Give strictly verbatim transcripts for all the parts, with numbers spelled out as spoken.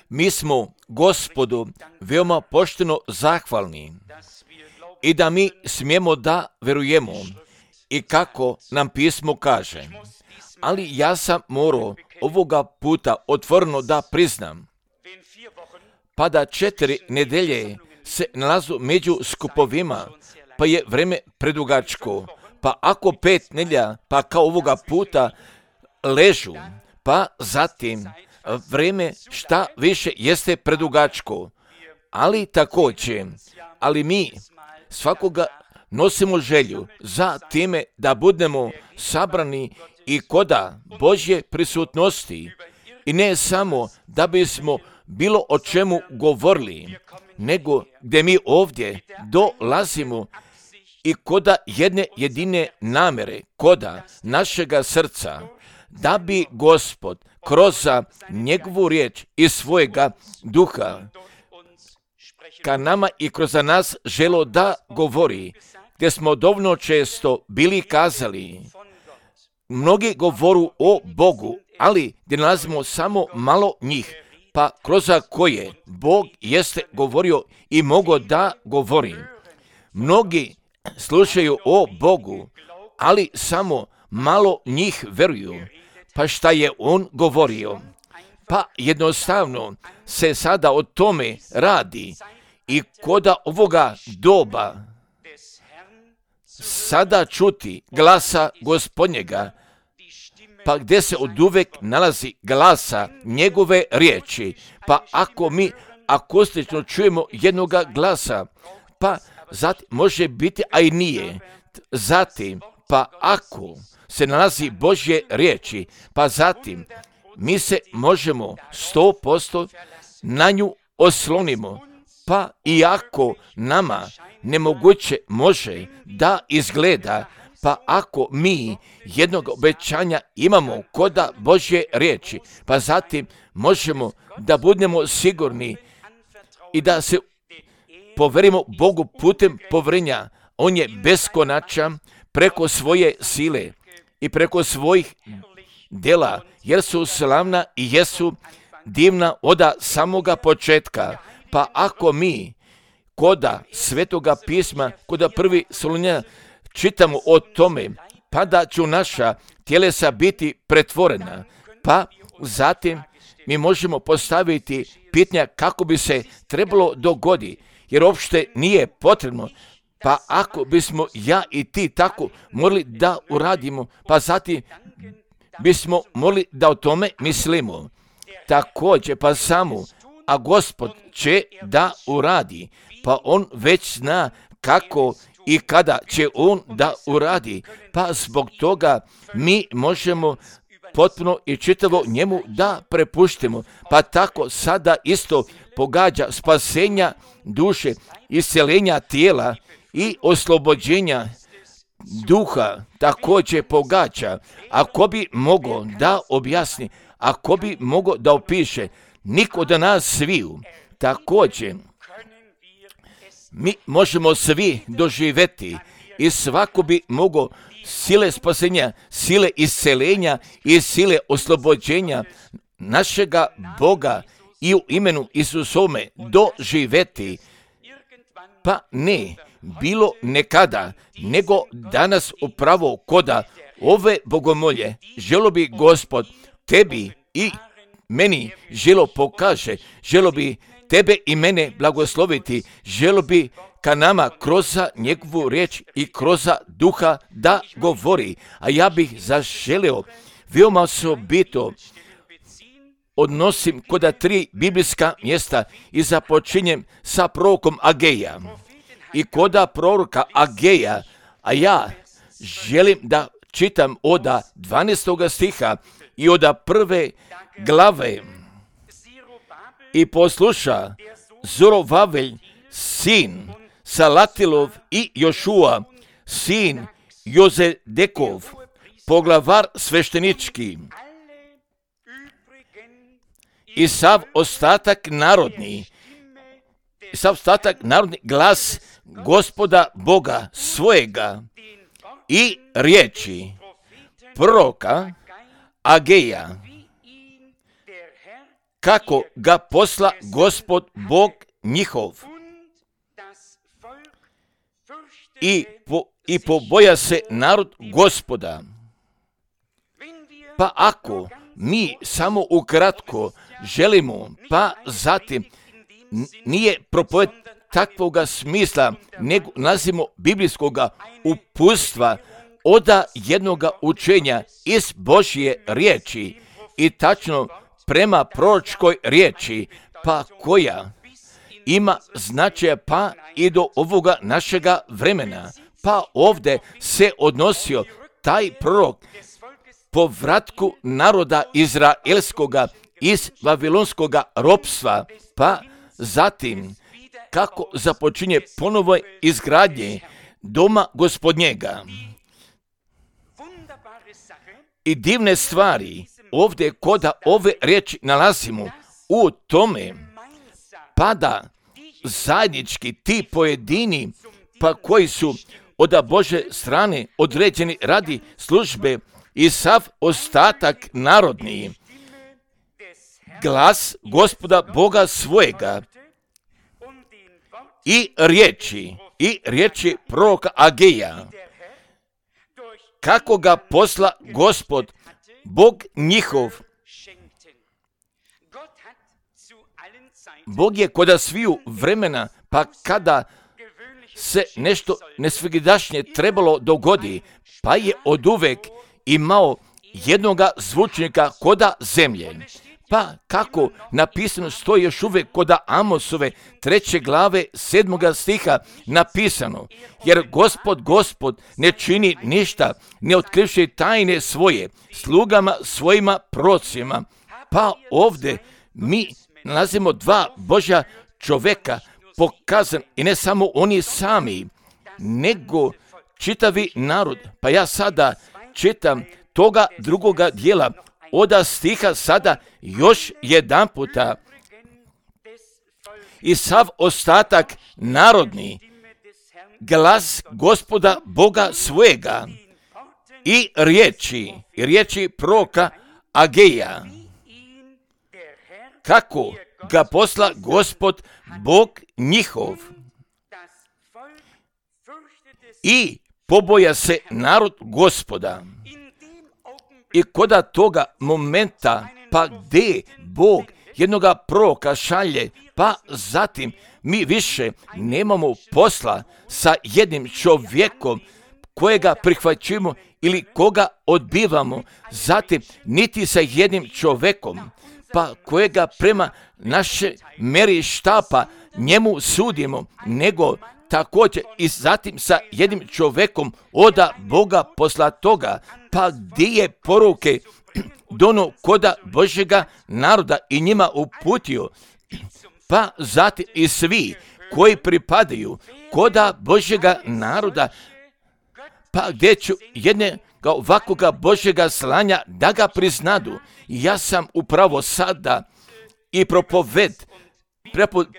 Mi smo Gospodu veoma pošteno zahvalni i da mi smijemo da verujemo i kako nam pismo kaže. Ali ja sam morao ovoga puta otvoreno da priznam, pa da četiri nedelje se nalazu među skupovima, pa je vreme predugačko, pa ako pet nedjelja, pa kao ovoga puta ležu, pa zatim vreme šta više jeste predugačko, ali također, ali mi svakoga nosimo želju za time da budemo sabrani i koda Božje prisutnosti i ne samo da bismo bilo o čemu govorili, nego gdje mi ovdje dolazimo i koda jedne jedine namere, koda našega srca, da bi Gospod kroz njegovu riječ i svojega duha ka nama i kroz nas želo da govori, gdje smo dovoljno često bili kazali. Mnogi govoru o Bogu, ali gdje nalazimo samo malo njih, pa kroz koje Bog jeste govorio i mogo da govori. Mnogi slušaju o Bogu, ali samo malo njih veruju. Pa šta je on govorio? Pa jednostavno se sada o tome radi i koda ovoga doba sada čuti glasa Gospodnjega, pa gdje se oduvek nalazi glasa njegove riječi, pa ako mi akustično čujemo jednoga glasa, pa zatim može biti, a i nije. Zatim, pa ako se nalazi Božje riječi, pa zatim mi se možemo sto posto na nju oslonimo, pa iako nama nemoguće može da izgleda, pa ako mi jednog obećanja imamo koda Božje riječi, pa zatim možemo da budemo sigurni i da se poverimo Bogu putem povjerenja. On je beskonačan preko svoje sile i preko svojih djela, jer su slavna i jesu divna od samoga početka. Pa ako mi koda Svetoga pisma, koda prvi Solunjana čitamo o tome, pa da će naša tjelesa biti pretvorena, pa zatim mi možemo postaviti pitanja kako bi se trebalo dogoditi, jer uopšte nije potrebno. Pa ako bismo ja i ti tako morali da uradimo, pa zatim bismo morali da o tome mislimo. Također, pa samo, a Gospod će da uradi, pa on već zna kako i kada će on da uradi, pa zbog toga mi možemo potpuno i čitavo njemu da prepuštimo. Pa tako sada isto pogađa spasenja duše, isceljenja tijela i oslobođenja duha također pogađa. Ako bi mogao da objasni, ako bi mogao da opiše, niko od nas sviju, također mi možemo svi doživjeti i svako bi mogao sile spasenja, sile isceljenja i sile oslobođenja našega Boga i u imenu Isusome doživjeti. Pa ne bilo nekada, nego danas upravo koda ove bogomolje želo bi Gospod tebi i meni želo pokaže, želo bi tebe i mene blagosloviti, želo bi ka nama kroz njegovu riječ i kroz duha da govori. A ja bih zaželio veoma osobito odnosim koda tri biblijska mjesta i započinjem sa prorokom Ageja. I koda proroka Ageja, a ja želim da čitam od dvanaestog stiha i od prve glave. I posluša Zorovavelj, sin Salatilov i Jošua, sin Jozedekov, poglavar sveštenički, i sav ostatak narodni, i sav ostatak narodni glas Gospoda Boga svojega i riječi proroka Ageja, kako ga posla Gospod Bog njihov. I, po, i poboja se narod Gospoda. Pa ako mi samo ukratko želimo, pa zatim nije propoved takvoga smisla, nego nalazimo biblijskoga uputstva od jednoga učenja iz Božje riječi i tačno prema proročkoj riječi, pa koja ima značaja pa i do ovoga našega vremena. Pa ovdje se odnosio taj prorok povratku naroda izraelskoga iz vavilonskoga ropstva, pa zatim kako započinje ponovo izgradnje doma Gospodnjega. I divne stvari ovdje koda ove riječi nalazimo u tome, pa da zajednički ti pojedini, pa koji su od Bože strane određeni radi službe i sav ostatak narodni, glas Gospoda Boga svojega i riječi, i riječi proroka Ageja, kako ga posla Gospod Bog njihov. Bog je koda sviju vremena, pa kada se nešto nesvigidašnje trebalo dogodi, pa je oduvek imao jednoga zvučnika koda zemlje. Pa kako napisano stoji još uvijek koda Amosove treće glave sedmoga stiha napisano, jer Gospod, Gospod ne čini ništa, ne otkrivši tajne svoje slugama svojima procima. Pa ovdje mi nalazimo dva Božja čovjeka pokazan i ne samo oni sami, nego čitavi narod. Pa ja sada čitam toga drugoga dijela od stiha sada još jedan puta. I sav ostatak narodni, glas Gospoda Boga svojega i riječi, i riječi proroka Ageja, kako ga posla Gospod Bog njihov. I poboja se narod Gospoda. I koda toga momenta, pa gdje Bog jednoga proroka šalje, pa zatim mi više nemamo posla sa jednim čovjekom kojega prihvaćujemo ili koga odbivamo, zatim niti sa jednim čovjekom, pa kojega prema naše meri štapa njemu sudimo, nego također i zatim sa jednim čovjekom oda Boga posla toga, pa gdje je poruke dono koda Božjega naroda i njima uputio, pa zatim i svi koji pripadaju koda Božjega naroda, pa gdje ću jedne ovakvoga Božjega slanja da ga priznadu. Ja sam upravo sada i propoved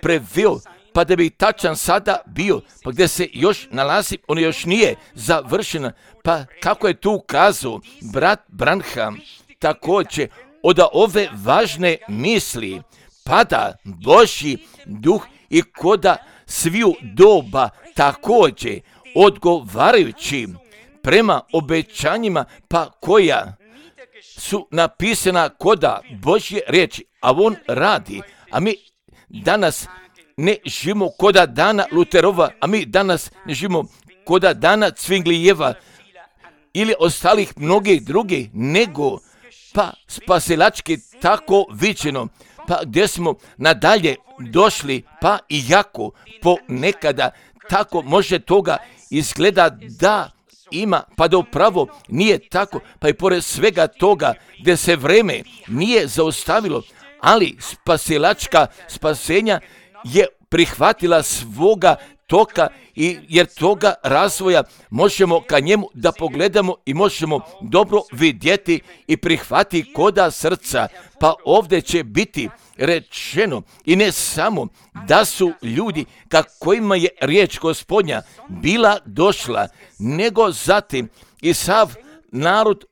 preveo, pa da bi tačan sada bio, pa gdje se još nalazi, on još nije završena, pa kako je tu kazao brat Branham, također od ove važne misli pada Božji duh i koda sviju doba također odgovarajući prema obećanjima, pa koja su napisana koda Božje riječi, a on radi, a mi danas ne živimo koda dana Luterova, a mi danas ne živimo koda dana Cvinglijeva ili ostalih mnogih drugih, nego pa spasilački tako viđeno, pa gdje smo nadalje došli, pa i jako ponekada tako može toga izgleda da ima, pa da upravo nije tako, pa i pored svega toga gdje se vreme nije zaustavilo, ali spasilačka spasenja je prihvatila svoga toka i jer toga razvoja možemo ka njemu da pogledamo i možemo dobro vidjeti i prihvati koda srca. Pa ovdje će biti rečeno i ne samo da su ljudi ka kojima je riječ Gospodnja bila došla, nego zatim i sav narod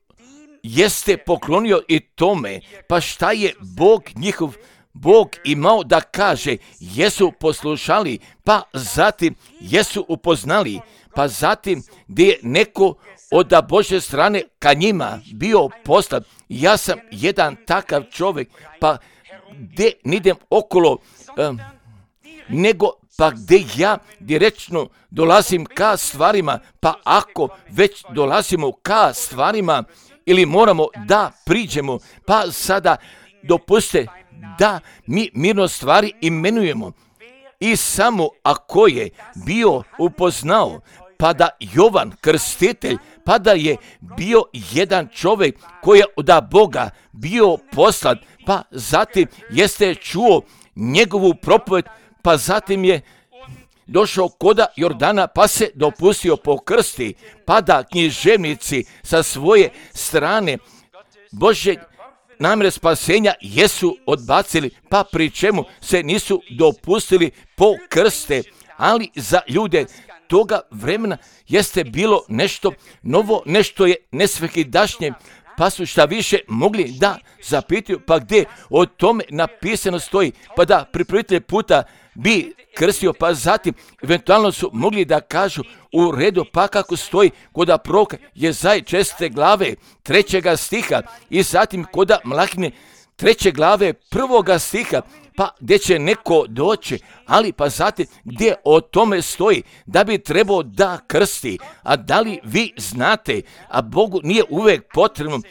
jeste poklonio i tome, pa šta je Bog njihov Bog imao da kaže, jesu poslušali, pa zatim jesu upoznali, pa zatim gdje je neko od Božje strane ka njima bio poslan. Ja sam jedan takav čovjek, pa gdje nidem okolo, um, nego pa gdje ja direktno dolazim ka stvarima, pa ako već dolazimo ka stvarima ili moramo da priđemo, pa sada dopuste da mi mirno stvari imenujemo. I samo ako je bio upoznao, pa da Jovan Krstitelj, pa da je bio jedan čovjek koji je od Boga bio poslan, pa zatim jeste čuo njegovu propoved, pa zatim je došao koda Jordana, pa se dopustio pokrsti, pa da književnici sa svoje strane Božje namjere spasenja jesu odbacili, pa pri čemu se nisu dopustili pokrste, ali za ljude toga vremena jeste bilo nešto novo, nešto je nesvakidašnje, pa su šta više mogli da zapitaju, pa gdje o tome napisano stoji, pa da pripravitelj puta bi krstio, pa zatim eventualno su mogli da kažu u redu, pa kako stoji koda proroka Jezaj česte glave trećega stiha i zatim koda Mlakine treće glave prvoga stiha, pa gdje će neko doći, ali pa zatim gdje o tome stoji da bi trebao da krsti. A da li vi znate, a Bogu nije uvijek potrebno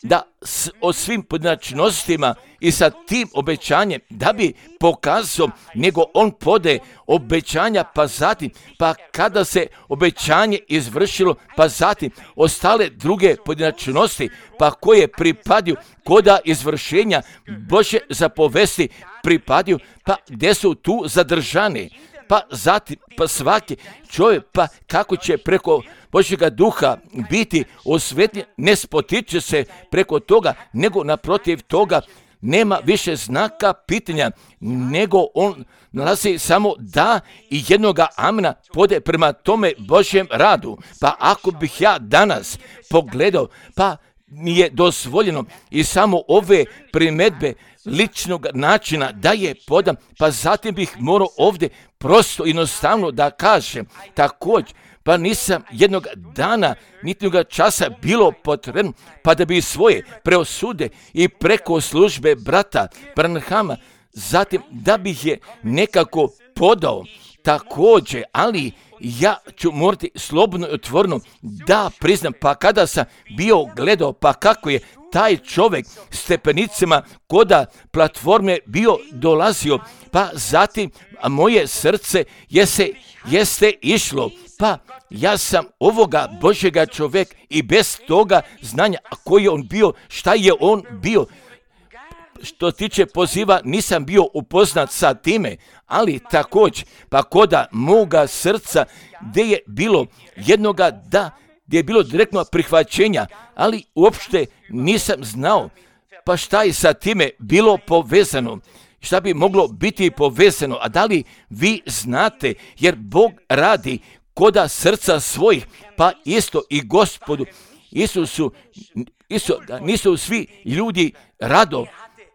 da s, o svim pojedinačnostima i sa tim obećanjem da bi pokazao, nego on pode obećanja, pa zatim, pa kada se obećanje izvršilo, pa zatim ostale druge pojedinačnosti, pa koje pripadaju koda izvršenja Božje zapovesti pripadaju, pa gdje su tu zadržani. Pa zatim, pa svaki čovjek, pa kako će preko Božjega duha biti osvetljen, ne spotiče se preko toga, nego naprotiv toga nema više znaka pitanja, nego on nalazi samo da i jednoga amena pode prema tome Božjem radu. Pa ako bih ja danas pogledao, pa mi je dozvoljeno i samo ove primjedbe ličnog načina da je podam, pa zatim bih morao ovdje prosto jednostavno da kažem također, pa nisam jednog dana, niti jednoga časa bilo potrebno, pa da bi svoje preosude i preko službe brata Branhama, zatim da bih je nekako podao također, ali ja ću morati slobodno i otvoreno da priznam, pa kada sam bio gledao, pa kako je taj čovjek stepenicama koda platforme bio dolazio, pa zatim moje srce jeste, jeste išlo, pa ja sam ovoga Božjega čovjeka i bez toga znanja koji je on bio, šta je on bio, što tiče poziva nisam bio upoznat sa time, ali također pa koda moga srca gdje je bilo jednoga da, gdje je bilo direktno prihvaćenja, ali uopšte nisam znao pa šta je sa time bilo povezano, šta bi moglo biti povezano, a da li vi znate, jer Bog radi koda srca svojih, pa isto i Gospodu Isusu, isto, nisu svi ljudi rado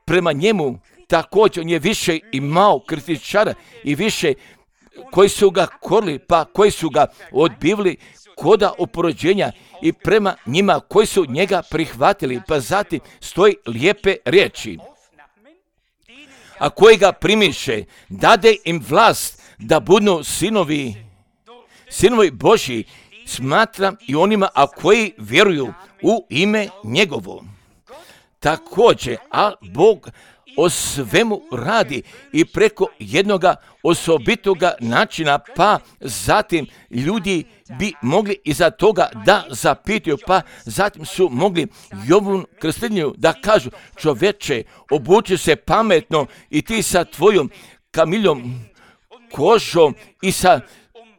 prema njemu, također on je više imao kritičara i više koji su ga korili, pa koji su ga odbivali koda oporođenja i prema njima koji su njega prihvatili, pa zatim stoji lijepe riječi. A koji ga primiše, dade im vlast da budu sinovi, sinovi Božji, smatram i onima, a koji vjeruju u ime njegovo. Također, a Bog o svemu radi i preko jednoga osobitoga načina, pa zatim ljudi bi mogli iza toga da zapitaju, pa zatim su mogli Jovanu Krstitelju da kažu, čoveče, obuči se pametno i ti sa tvojom kamiljom kožom i sa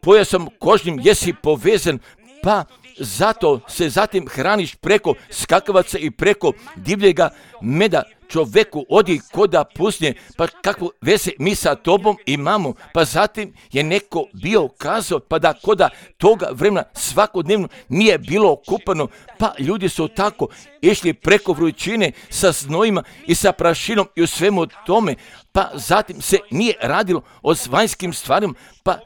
pojasom kožnim jesi povezan, pa zato se zatim hraniš preko skakavaca i preko divljega meda. Čoveku odi koda pusnje, pa kakvu veze mi sa tobom imamo. Pa zatim je neko bio kazao, pa da koda toga vremena svakodnevno nije bilo kupano, pa ljudi su tako išli preko vrućine sa znojima i sa prašinom i u svemu tome, pa zatim se nije radilo o vanjskim stvarima, pa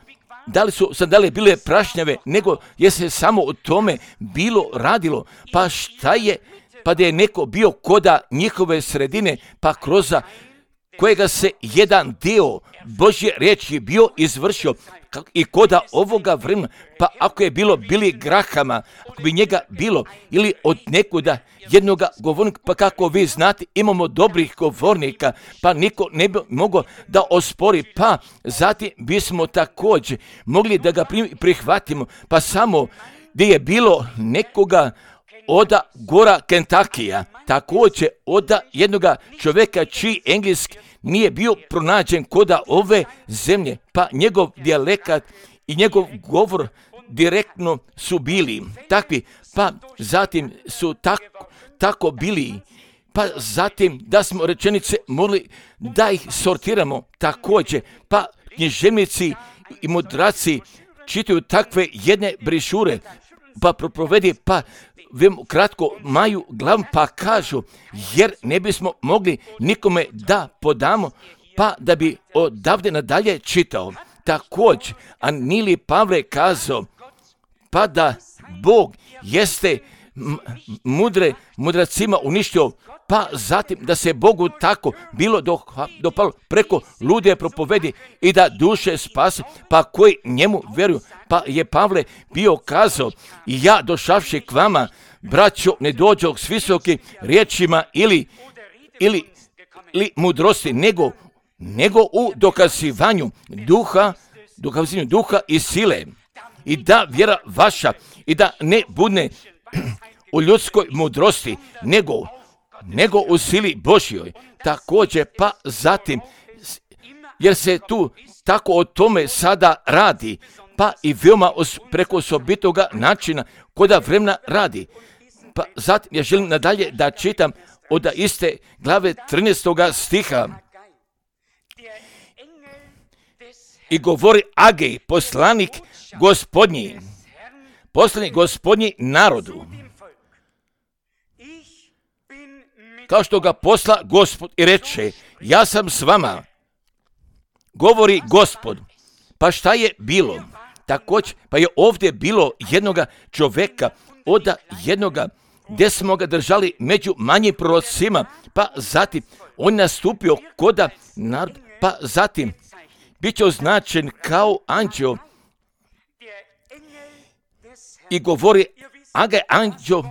da li su sandale bile prašnjave, nego je se samo o tome bilo radilo. Pa šta je, pa da je neko bio koda njihove sredine, pa kroz kojega se jedan dio Božje riječi bio izvršio i koda ovoga vremena, pa ako je bilo Billy Grahama, ako bi njega bilo, ili od nekoda jednoga govornika, pa kako vi znate, imamo dobrih govornika, pa niko ne bi mogao da ospori, pa zatim bismo također mogli da ga prihvatimo, pa samo gdje je bilo nekoga oda gora Kentakija, također oda jednoga čovjeka čiji engleski nije bio pronađen koda ove zemlje, pa njegov dijalekat i njegov govor direktno su bili takvi, pa zatim su tako, tako bili, pa zatim da smo rečenice morali da ih sortiramo također, pa književnici i mudraci čitaju takve jedne brišure, pa proprovedi, pa kratko maju glavu, pa kažu, jer ne bismo mogli nikome da podamo, pa da bi odavde nadalje čitao. Također, a nili Pavle kazao, pa da Bog jeste mudre, mudracima uništio, pa zatim da se Bogu tako bilo dopalo preko lude propovedi i da duše spasi, pa koji njemu vjeruju. Pa je Pavle bio kazao, i ja došavši k vama, braćo, ne dođoh s visokim riječima ili, ili, ili mudrosti, nego, nego u dokazivanju duha, dokazivanju duha i sile. I da vjera vaša, i da ne bude u ljudskoj mudrosti, nego, nego u sili Božjoj. Također, pa zatim, jer se tu tako o tome sada radi, pa i veoma os, preko osobitoga načina koda vremena radi. Pa zatim ja želim nadalje da čitam od iste glave trinaestoga stiha. I govori Agej, poslanik Gospodnji, poslanik Gospodnji narodu, kao što ga posla Gospod i reče, ja sam s vama, govori Gospod. Pa šta je bilo? Također, pa je ovdje bilo jednoga čovjeka, od jednoga gdje smo ga držali među manjim prorocima, pa zatim on nastupio koda narod, pa zatim bit će označen kao anđeo i govori Agaj anđeo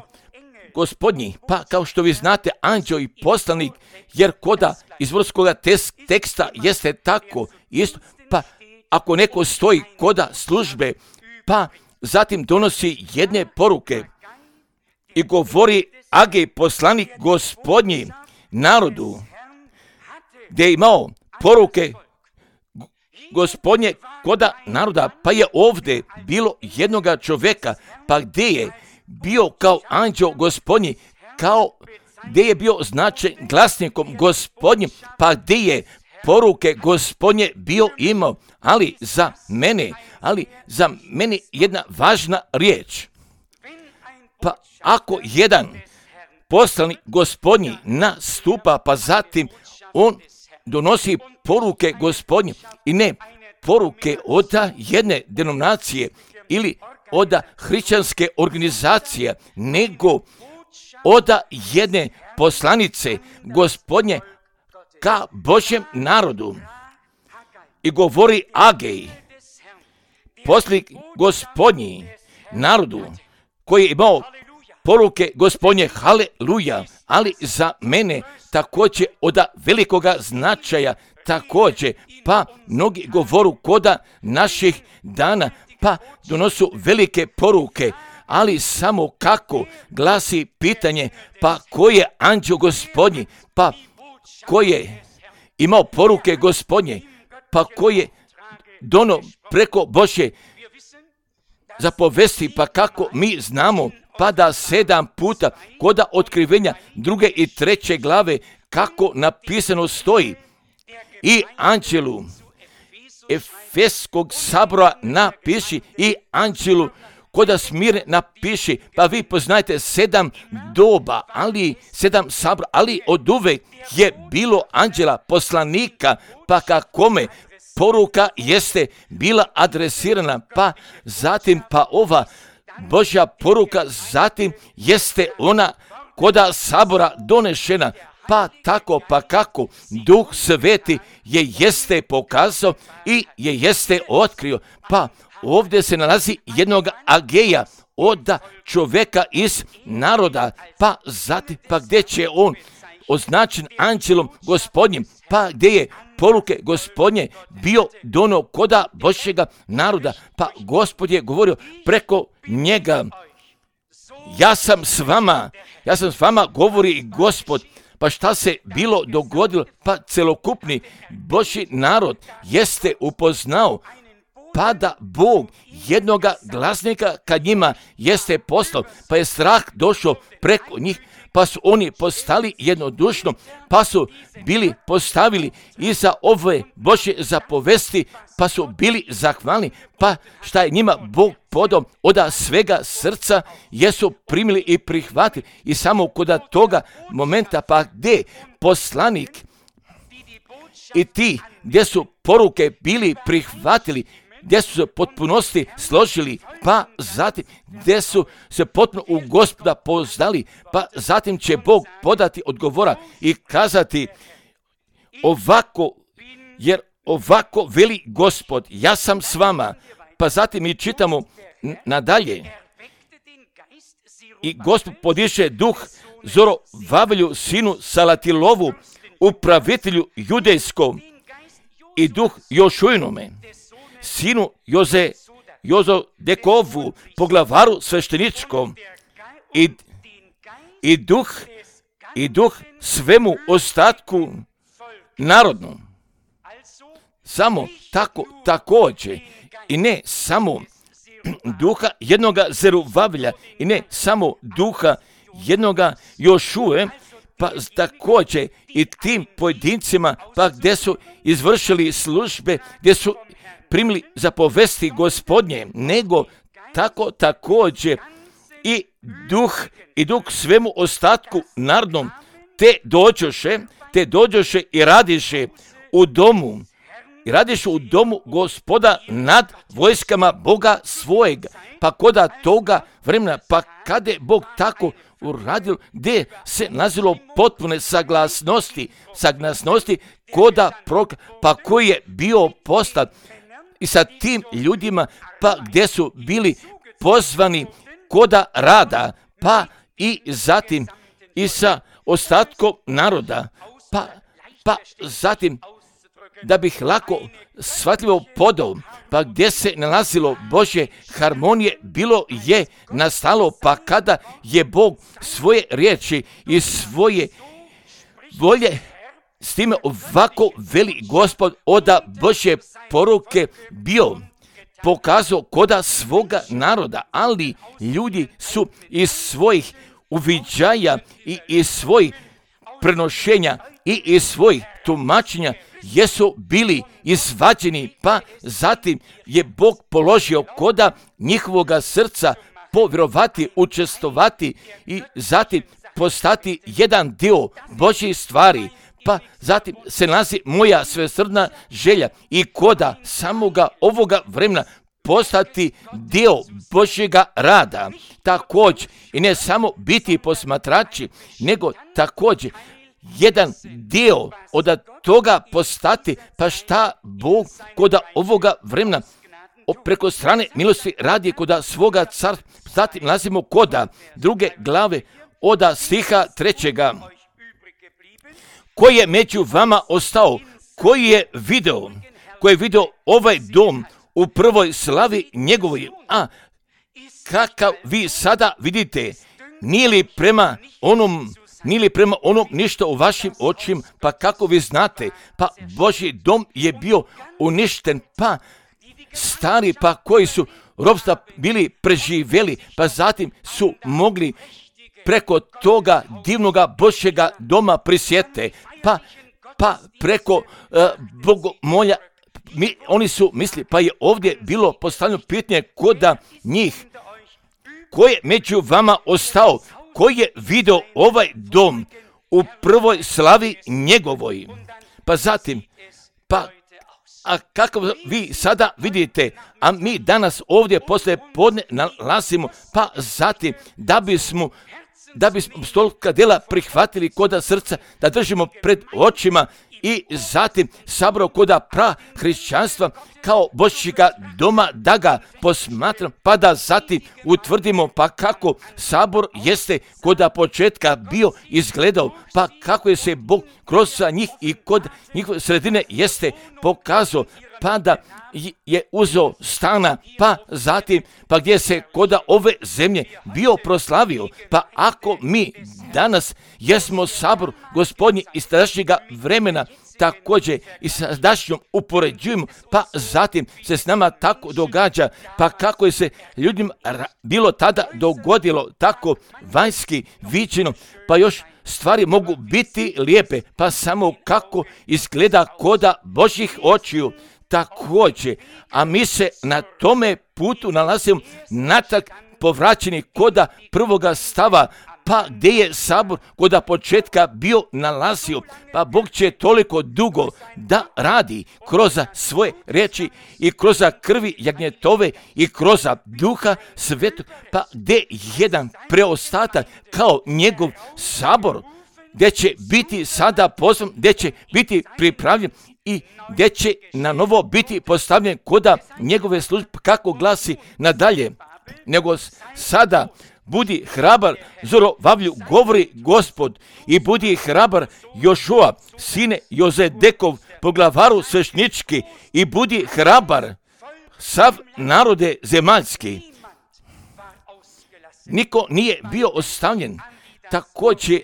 Gospodnji, pa kao što vi znate, anđeo i poslanik, jer koda iz vrskoga teksta jeste tako isto, pa ako neko stoji koda službe, pa zatim donosi jedne poruke i govori Agej, poslanik Gospodnji narodu, gdje je imao poruke Gospodnje koda naroda, pa je ovdje bilo jednoga čovjeka, pa gdje je bio kao anđeo Gospodnji, kao gdje je bio značen glasnikom Gospodnjim, pa gdje je poruke Gospodnje bio imao, ali za mene, ali za mene jedna važna riječ. Pa ako jedan poslanik Gospodnji nastupa, pa zatim on donosi poruke Gospodnje i ne poruke od jedne denominacije ili od hrišćanske organizacije, nego od jedne poslanice Gospodnje ka Božjem narodu. I govori Agej, poslanik Gospodnji narodu, koji je imao poruke Gospodnje, haleluja, ali za mene također od velikoga značaja, također, pa mnogi govoru koda naših dana, pa donosu velike poruke, ali samo kako glasi pitanje, pa ko je anđeo Gospodnji, pa ko je imao poruke Gospodnje, pa ko je dono preko Božje. zapovesti, pa kako mi znamo, pa da sedam puta koda otkrivenja druge i treće glave, kako napisano stoji, i anđelu Efeskog sabora napiši, i anđelu koda Smirne napiši. Pa vi poznajete sedam doba, ali sedam sabora, ali od uvek je bilo anđela poslanika, pa kakome poruka jeste bila adresirana, pa zatim pa ova Božja poruka zatim jeste ona koda sabora donešena, pa tako pa kako Duh Sveti je jeste pokazao i je jeste otkrio. Pa ovdje se nalazi jednog Ageja, od čovjeka iz naroda, pa zatim pa gdje će on označen anđelom Gospodnjim, pa gdje je poruke Gospodnje bio dono koda Božjega naroda, pa Gospod je govorio preko njega, ja sam s vama, ja sam s vama, govori Gospod. Pa šta se bilo dogodilo? Pa celokupni Božji narod jeste upoznao, pa da Bog jednoga glasnika kad njima jeste poslao, pa je strah došao preko njih, pa su oni postali jednodušno, pa su bili postavili iza ove Božje zapovesti, pa su bili zahvalni, pa šta je njima Bog podao od svega srca, jesu primili i prihvatili. I samo kod toga momenta, pa gdje poslanik i ti gdje su poruke bili prihvatili, gdje su se potpunosti složili, pa zatim gdje su se potpuno u Gospoda poznali, pa zatim će Bog podati odgovora i kazati ovako, jer ovako veli Gospod, ja sam s vama. Pa zatim mi čitamo nadalje, i Gospod podiše duh Zorovavelju, sinu Salatilovu, upravitelju judejskom, i duh Jošujnome, sinu Joze, Jozodekovu, poglavaru svešteničkom, i, i duh i duh svemu ostatku narodnom. Samo tako također, i ne samo duha jednoga Zeruvavelja, i ne samo duha jednoga Jošue, pa također i tim pojedincima, pa gdje su izvršili službe, gdje su primili zapovesti Gospodnje, nego tako također i duh i duh svemu ostatku narodnom, te dođoše, te dođoše i radiše u domu, i radiše u domu Gospoda nad vojskama Boga svojega. Pa koda toga vremena, pa kada je Bog tako uradio, gdje se nazilo potpune saglasnosti, saglasnosti koda prok, pa koji je bio postat i sa tim ljudima, pa gdje su bili pozvani koda rada, pa i zatim i sa ostatkom naroda, pa, pa zatim da bih lako shvatljivo podao, pa gdje se nalazilo Božje harmonije, bilo je nastalo, pa kada je Bog svoje riječi i svoje volje, s time ovako veli Gospod, oda Božje poruke bio pokazao koda svoga naroda, ali ljudi su iz svojih uviđaja i iz svojih prenošenja i iz svojih tumačenja jesu bili izvađeni, pa zatim je Bog položio koda njihovoga srca povjerovati, učestovati i zatim postati jedan dio Božjih stvari. Pa zatim se nalazi moja svesrdna želja i koda samoga ovoga vremena postati dio Božjega rada. Također i ne samo biti posmatrači, nego također jedan dio od toga postati, pa šta Bog koda ovoga vremena preko strane milosti radi koda svoga carstva. Zatim nalazimo koda druge glave od stiha trećega. Koji je među vama ostao, koji je video, koji je video ovaj dom u prvoj slavi njegovoj, a kakav vi sada vidite, nije li prema onom Nije li prema onom ništa u vašim očima, pa kako vi znate, pa Božji dom je bio uništen, pa stari, pa koji su ropstva bili preživjeli, pa zatim su mogli preko toga divnoga Božjega doma prisjete, pa, pa preko uh, bogomolja, mi, oni su misli, pa je ovdje bilo postavljeno pitanje koda njih, ko je među vama ostao, ko je vidio ovaj dom u prvoj slavi njegovoj. Pa zatim, pa a kako vi sada vidite, a mi danas ovdje poslije podne nalazimo, pa zatim da bismo da bismo stolika djela prihvatili koda srca, da držimo pred očima i zatim sabor koda pra hrišćanstva kao Božjega doma, da ga posmatram, pa da zatim utvrdimo pa kako sabor jeste koda početka bio izgledao, pa kako je se Bog kroz njih i kod njihove sredine jeste pokazao, pa da je uzeo stana, pa zatim, pa gdje se koda ove zemlje bio proslavio, pa ako mi danas jesmo sabor Gospodnji iz tadašnjega vremena, također i sa sadašnjom upoređujemo, pa zatim se s nama tako događa, pa kako je se ljudima bilo tada dogodilo tako vanjski viđeno, pa još stvari mogu biti lijepe, pa samo kako izgleda koda Božjih očiju također, a mi se na tome putu nalazimo natrag povraćeni koda prvoga stava, pa gdje je sabor koda početka bio nalazio, pa Bog će toliko dugo da radi kroz svoje riječi i kroz krvi jagnjetove i kroz duha svetog, pa gdje jedan preostatak kao njegov sabor, gdje će biti sada pozvan, gdje će biti pripravljen i gdje će na novo biti postavljen koda njegove službe, kako glasi nadalje, nego sada budi hrabar, Zorovavlju, govori Gospod, i budi hrabar Jošua, sine Jozedekov, poglavaru svešnički, i budi hrabar sav narode zemaljski. Niko nije bio ostavljen, također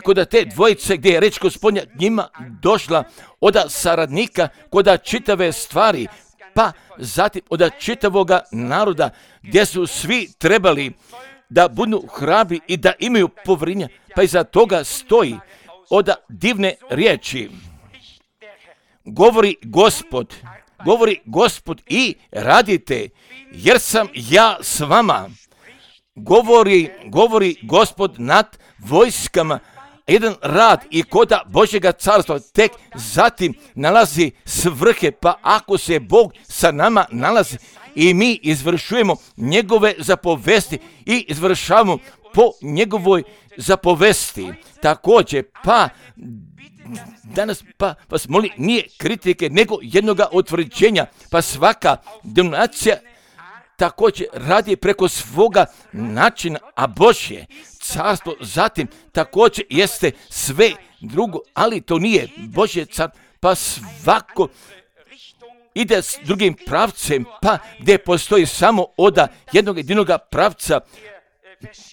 kod te dvojice gdje je reč Gospodnja njima došla od saradnika kod čitave stvari, pa zatim od čitavoga naroda gdje su svi trebali da budu hrabri i da imaju povjerenja, pa iza toga stoji od divne riječi. Govori Gospod, govori Gospod i radite, jer sam ja s vama. Govori, govori Gospod nad vojskama, jedan rad i koda Božjega carstva tek zatim nalazi svrhe, pa ako se Bog sa nama nalazi i mi izvršujemo njegove zapovesti i izvršavamo po njegovoj zapovesti. Također, pa danas pa vas molim, nije kritike nego jednoga utvrđenja, pa svaka denominacija također radi preko svoga načina, a Božje carstvo zatim također jeste sve drugo, ali to nije Božje carstvo, pa svako ide s drugim pravcem, pa gdje postoji samo oda jednog jedinog pravca,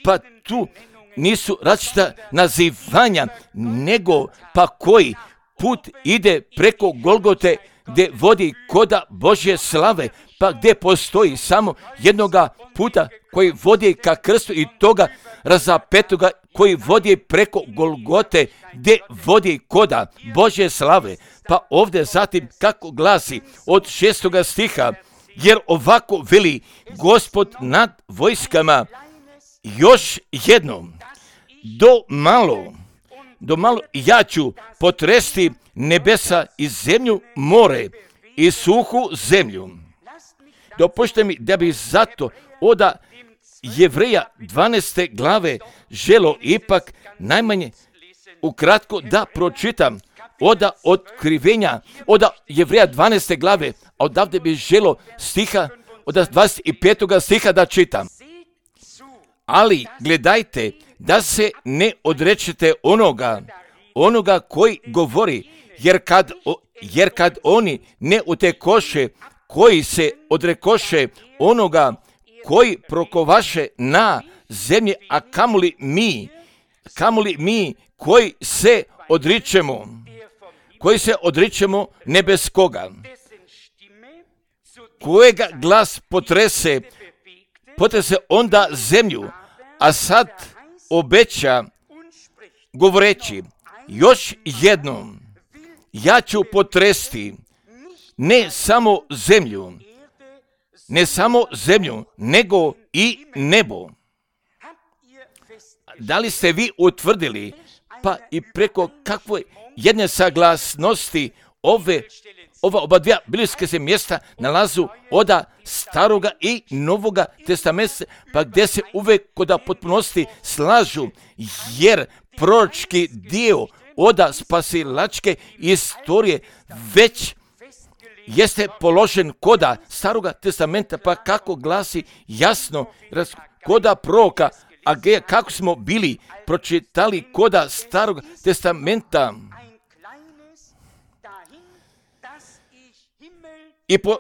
pa tu nisu različita nazivanja, nego pa koji put ide preko Golgote gdje vodi koda Božje slave, pa gdje postoji samo jednoga puta koji vodi ka krstu i toga razapetoga koji vodi preko Golgote gdje vodi koda Božje slave. Pa ovdje zatim kako glasi od šestoga stiha, jer ovako veli Gospod nad vojskama, još jednom, do malo, do malo ja ću potresti nebesa i zemlju, more i suhu zemlju. Dopušte mi da bi zato od Jevreja dvanaeste glave želo ipak najmanje ukratko da pročitam od otkrivenja, od Jevreja dvanaeste glave, a odavde bi želo stiha, od dvadeset petog stiha da čitam. Ali gledajte da se ne odrečete onoga, onoga koji govori, jer kad, jer kad oni ne utekoše, koji se odrekoše onoga koji prokovaše na zemlji, a kamoli mi, kamoli mi koji se odričemo, koji se odričemo nebeskoga. kojega glas potrese, potrese onda zemlju, a sad obeća govoreći, još jednom, ja ću potresti ne samo zemlju, ne samo zemlju, nego i nebo. Da li ste vi utvrdili, pa i preko kakve jedne saglasnosti ove, ova oba dvija biblijske se mjesta nalazu od Staroga i Novoga testamenta, pa gdje se uvijek kod potpunosti slažu, jer proročki dio od spasilačke istorije već jeste položen koda Staroga testamenta, pa kako glasi jasno koda proroka Ageja, kako smo bili pročitali koda Starog testamenta i, po,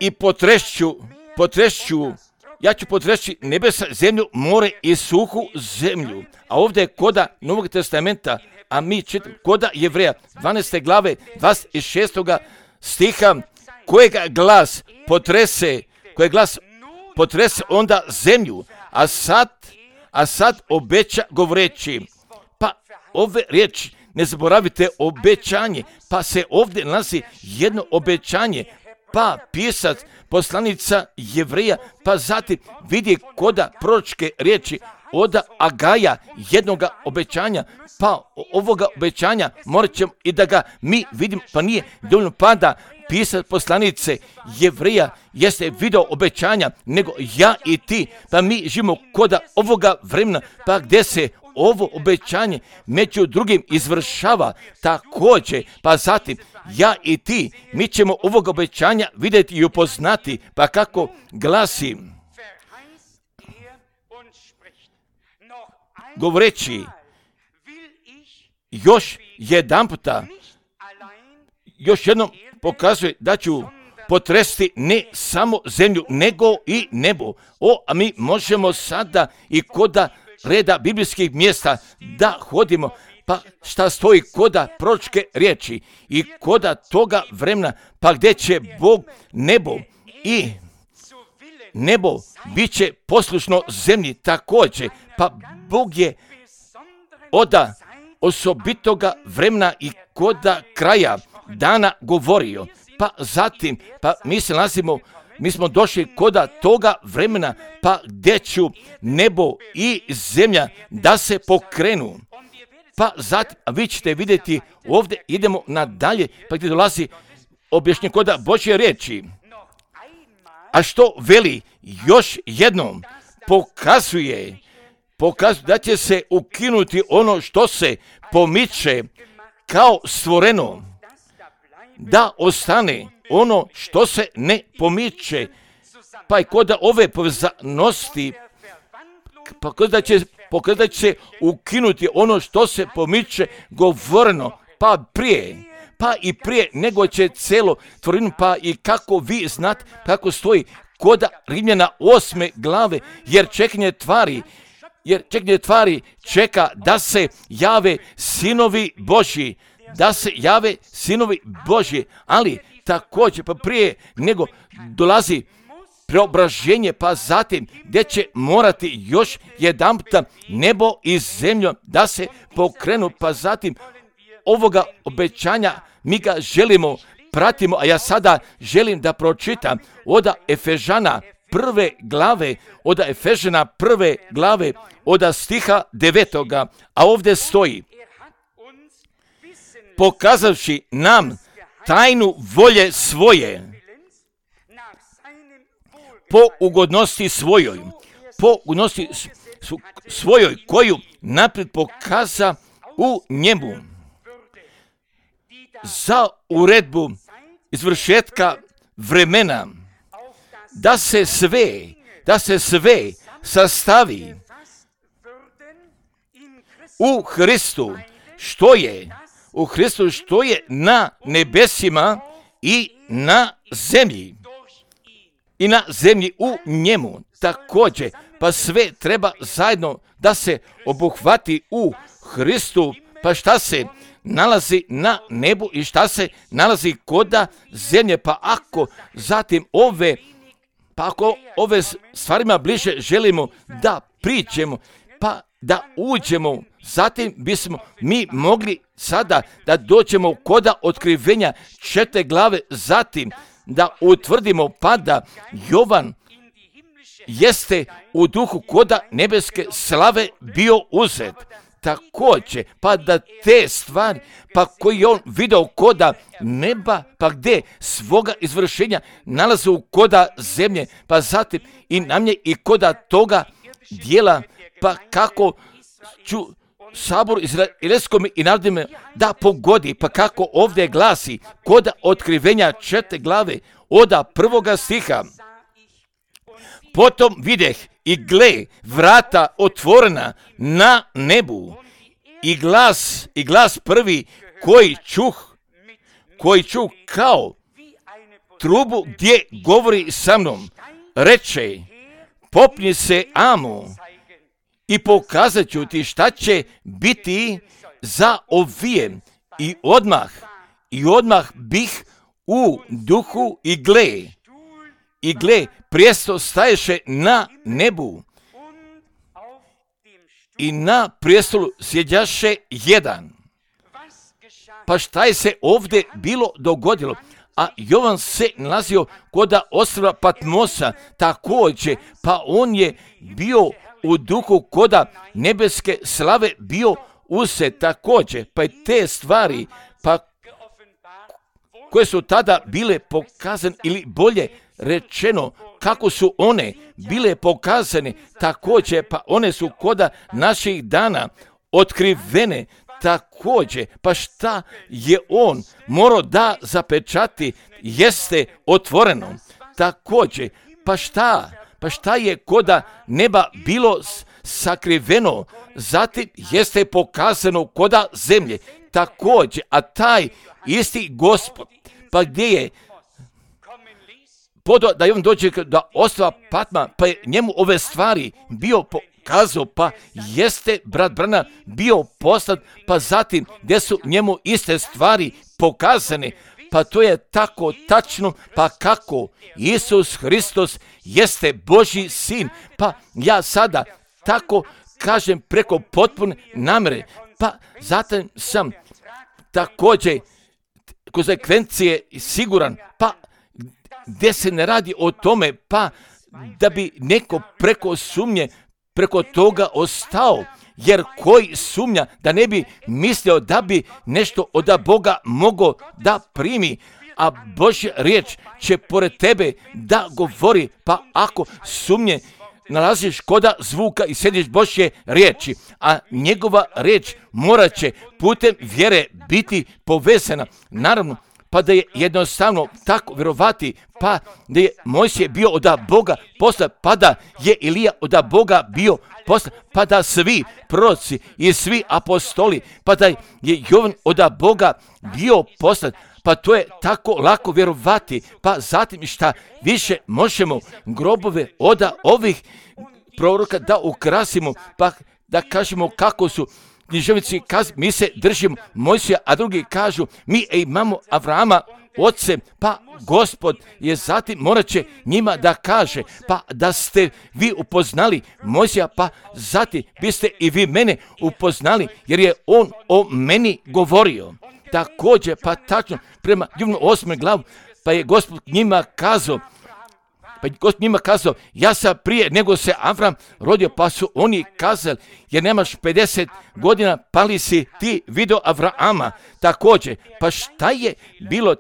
i potrešću, potrešću, ja ću potrešći nebesa, zemlju, more i suhu zemlju. A ovdje je koda Novog testamenta, a mi čitamo koda Jevreja, dvanaeste glave, dvadeset šestog stiha, kojega glas potrese, kojeg glas potrese onda zemlju, a sad, a sad obeća govoreći. Pa ove riječi, ne zaboravite obećanje, pa se ovdje nalazi jedno obećanje, pa pisac, poslanica Jevreja, pa zatim vidi koda proročke riječi od Agaja jednoga obećanja, pa ovoga obećanja morat ćemo i da ga mi vidimo, pa nije dovoljno pa da pisac poslanice Jevreja jeste video obećanja, nego ja i ti, pa mi živimo koda ovoga vremena, pa gdje se ovo obećanje među drugim izvršava također, pa zatim ja i ti, mi ćemo ovog obećanja vidjeti i upoznati, pa kako glasi, govoreći, još jedan puta, još jednom pokazuje da ću potresti ne samo zemlju, nego i nebo. O, a mi možemo sada i koda reda biblijskih mjesta da hodimo, pa šta stoji koda proročke riječi i koda toga vremena, pa gdje će Bog nebo i nebo bit će poslušno zemlji također, pa Bog je od osobitoga vremena i koda kraja dana govorio, pa zatim, pa mi se nalazimo, mi smo došli koda toga vremena, pa gdje ću nebo i zemlja da se pokrenu. Pa zatim, a vi ćete vidjeti, ovdje idemo nadalje, pa gdje dolazi objašnjenje koda Božje riječi. A što veli još jednom, pokazuje, pokazuje da će se ukinuti ono što se pomiče kao stvoreno, da ostane ono što se ne pomiče, pa i koda ove povezanosti, pa koda će, pokazat će se ukinuti ono što se pomiče govoreno, pa prije, pa i prije nego će celo tvorinu, pa i kako vi znate, kako stoji koda Rimljana osme glave, jer čekanje tvari, jer čekanje tvari čeka da se jave sinovi Božji, da se jave sinovi Božji, ali također pa prije nego dolazi preobraženje, pa zatim gdje će morati još jedanputa nebo i zemlju da se pokrenu, pa zatim ovoga obećanja mi ga želimo, pratimo, a ja sada želim da pročitam od Efežana prve glave, od Efežana prve glave, od stiha devetoga, a ovdje stoji, pokazavši nam tajnu volje svoje, po ugodnosti svojoj, po ugodnosti svojoj, koju naprijed pokaza u njemu, za uredbu izvršetka vremena, da se sve, da se sve sastavi u Hristu, što je, u Hristu što je na nebesima i na zemlji. I na zemlji u njemu također, pa sve treba zajedno da se obuhvati u Hristu, pa šta se nalazi na nebu i šta se nalazi koda zemlje. Pa ako zatim ove, pa ako ove stvarima bliže želimo da priđemo, pa da uđemo, zatim bismo mi mogli sada da dođemo koda otkrivenja četiri glave, zatim da utvrdimo pa da Jovan jeste u duhu koda nebeske slave bio uzet. Također, pa da te stvari, pa koji on video koda neba, pa gdje svoga izvršenja nalaze u koda zemlje, pa zatim i na mnje i koda toga dijela, pa kako ću sabor izraelskom i narodima da pogodi, pa kako ovdje glasi koda otkrivenja četiri glave oda prvoga stiha. Potom videh i gle vrata otvorena na nebu i glas, i glas prvi koji čuh, koji čuh kao trubu gdje govori sa mnom, reče, popni se Amu i pokazat ću ti šta će biti za ovijem. I odmah, i odmah bih u duhu i gle, i gle, prijesto staješe na nebu i na prijestolu sjeđaše jedan. Pa šta je se ovdje bilo dogodilo? A Jovan se nalazio koda ostrva Patmosa također, pa on je bio u duhu koda nebeske slave bio uzet također, pa i te stvari, pa koje su tada bile pokazane ili bolje rečeno kako su one bile pokazane također, pa one su koda naših dana otkrivene također. Pa šta je on morao da zapečati jeste otvoreno također. Pa šta, pa šta je koda neba bilo sakriveno, zatim jeste pokazano koda zemlje također, a taj isti Gospod, pa gdje je podo da je on dođe da ostrva Patma, pa je njemu ove stvari bio pokazao, pa jeste brat Branham bio poslat, pa zatim gdje su njemu iste stvari pokazane, pa to je tako tačno, pa kako Isus Hristos jeste Božji sin, pa ja sada tako kažem preko potpune namere, pa zatim sam također konsekvencije siguran, pa gdje se ne radi o tome, pa da bi neko preko sumnje, preko toga ostao, jer koji sumnja da ne bi mislio da bi nešto od Boga mogao da primi, a Božja riječ će pored tebe da govori, pa ako sumnje nalaziš koda zvuka i sjediš Božje riječi, a njegova riječ morat će putem vjere biti povezana. Naravno, pa da je jednostavno tako vjerovati, pa da je Mojsije bio od Boga poslan, pa da je Ilija od Boga bio poslan, pa da svi proroci i svi apostoli, pa da je Jovan od Boga bio poslan, pa to je tako lako vjerovati. Pa zatim šta više možemo grobove od ovih proroka da ukrasimo, pa da kažemo kako su književnici kažu, mi se držimo Mojsija, a drugi kažu, mi imamo Avrama, oce, pa Gospod je zatim morat će njima da kaže, pa da ste vi upoznali Mojsija, pa zatim biste i vi mene upoznali, jer je on o meni govorio. Također, pa tačno, prema Jovanu osmoj glavu, pa je Gospod njima kazao, Pa Gospod njima kazao, ja sam prije nego se Avram rodio, pa su oni kazali, jer nemaš pedeset godina, pa li si ti video Avrama? Također, pa šta je bilo,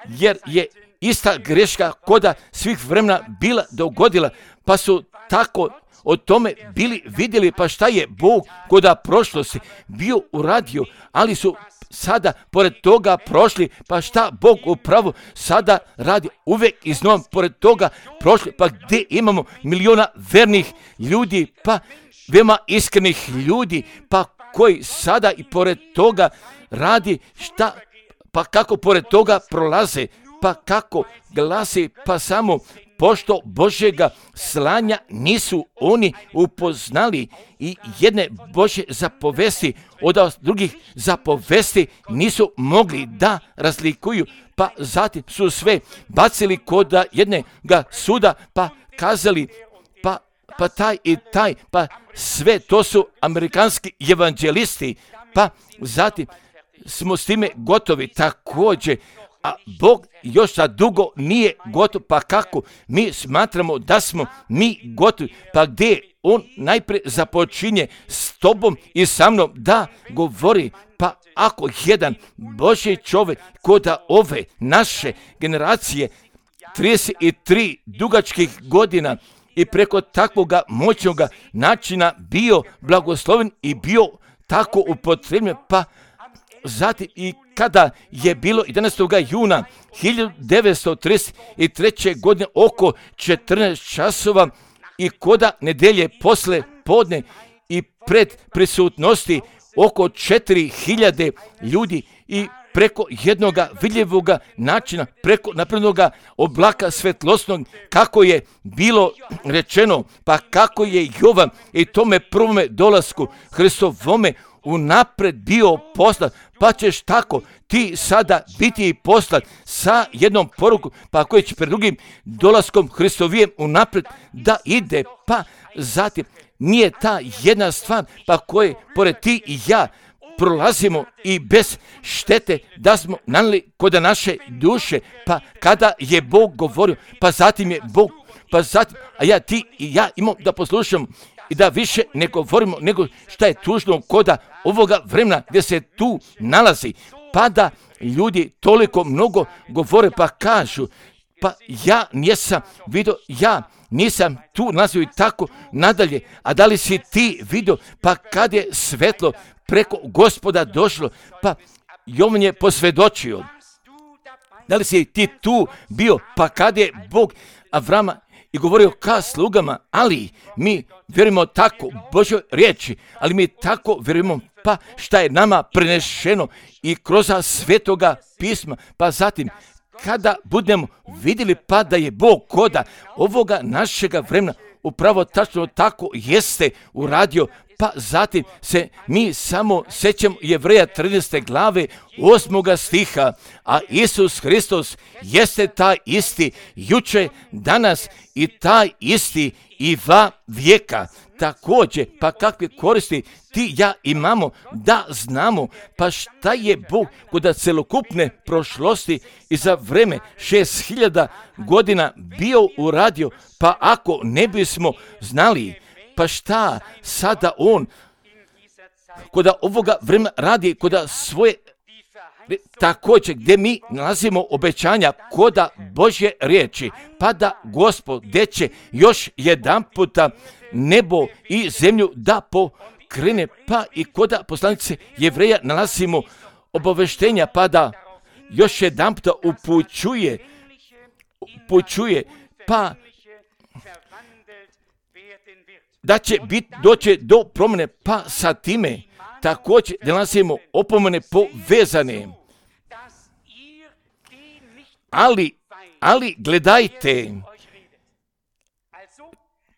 jer je ista greška koda svih vremena bila dogodila, pa su tako o tome bili vidjeli, pa šta je Bog koda prošlosti bio uradio, ali su sada pored toga prošli, pa šta Bog upravo sada radi uvijek iznova pored toga prošli, pa gdje imamo miliona vernih ljudi, pa veoma iskrenih ljudi, pa koji sada i pored toga radi šta, pa kako pored toga prolaze, pa kako glasi, pa samo pošto Božjega slanja nisu oni upoznali i jedne Božje zapovesti od drugih zapovesti nisu mogli da razlikuju, pa zatim su sve bacili kod jednoga suda, pa kazali, pa, pa taj i taj, pa sve to su amerikanski evanđelisti, pa zatim smo s time gotovi također, a Bog još za dugo nije gotov, pa kako mi smatramo da smo mi gotovi, pa gdje on najprije započinje s tobom i sa mnom da govori, pa ako jedan Božji čovjek kod ove naše generacije trideset tri dugačkih godina i preko takvoga moćnoga načina bio blagosloven i bio tako upotrebljen, pa zatim i kada je bilo jedanaestog juna hiljadu devetsto trideset treće. godine oko četrnaest časova i koda nedelje posle podne i pred prisutnosti oko četiri hiljade ljudi i preko jednoga vidljivoga načina, preko naprednoga oblaka svetlosnog, kako je bilo rečeno, pa kako je Jovan i tome prvome dolasku Hristovome unapred bio poslat, pa ćeš tako ti sada biti i poslat sa jednom porukom, pa koji će pred drugim dolaskom Hristovijem unapred da ide, pa zatim nije ta jedna stvar, pa koje pored ti i ja prolazimo i bez štete da smo nanijeli kod naše duše, pa kada je Bog govorio, pa zatim je Bog, pa zatim, a ja, ti i ja imamo da poslušamo i da više ne govorimo nego šta je tužno koda ovoga vremena gdje se tu nalazi, pa da ljudi toliko mnogo govore, pa kažu, pa ja nisam vidio, ja nisam tu nalazio i tako nadalje, a da li si ti vidio, pa kad je svetlo preko Gospoda došlo, pa Jovan je posvjedočio, da li si ti tu bio, pa kad je Bog Avrama i govorio ka slugama, ali mi vjerujemo tako Božoj riječi, ali mi tako vjerujemo pa šta je nama prenešeno i kroz svetoga pisma, pa zatim kada budemo vidjeli pa da je Bog koda ovoga našega vremena upravo tačno tako jeste uradio, pa zatim se mi samo sećamo Jevreja trinaeste glave osmoga stiha, a Isus Hristos jeste taj isti juče, danas i taj isti i va vijeka. Također, pa kakve koristi ti ja imamo da znamo, pa šta je Bog kod celokupne prošlosti i za vreme šest hiljada godina bio uradio, pa ako ne bismo znali, pa šta sada on kod ovoga vremena radi kod svoje također gdje mi nalazimo obećanja koda Božje riječi, pa da Gospod gdje će još jedan puta nebo i zemlju da pokrene, pa i koda poslanice Jevreja nalazimo obaveštenja, pa da još jedan puta upućuje, upućuje, pa da će bit, doći do promjene, pa sa time također nalazimo opomene povezane. Ali, ali gledajte,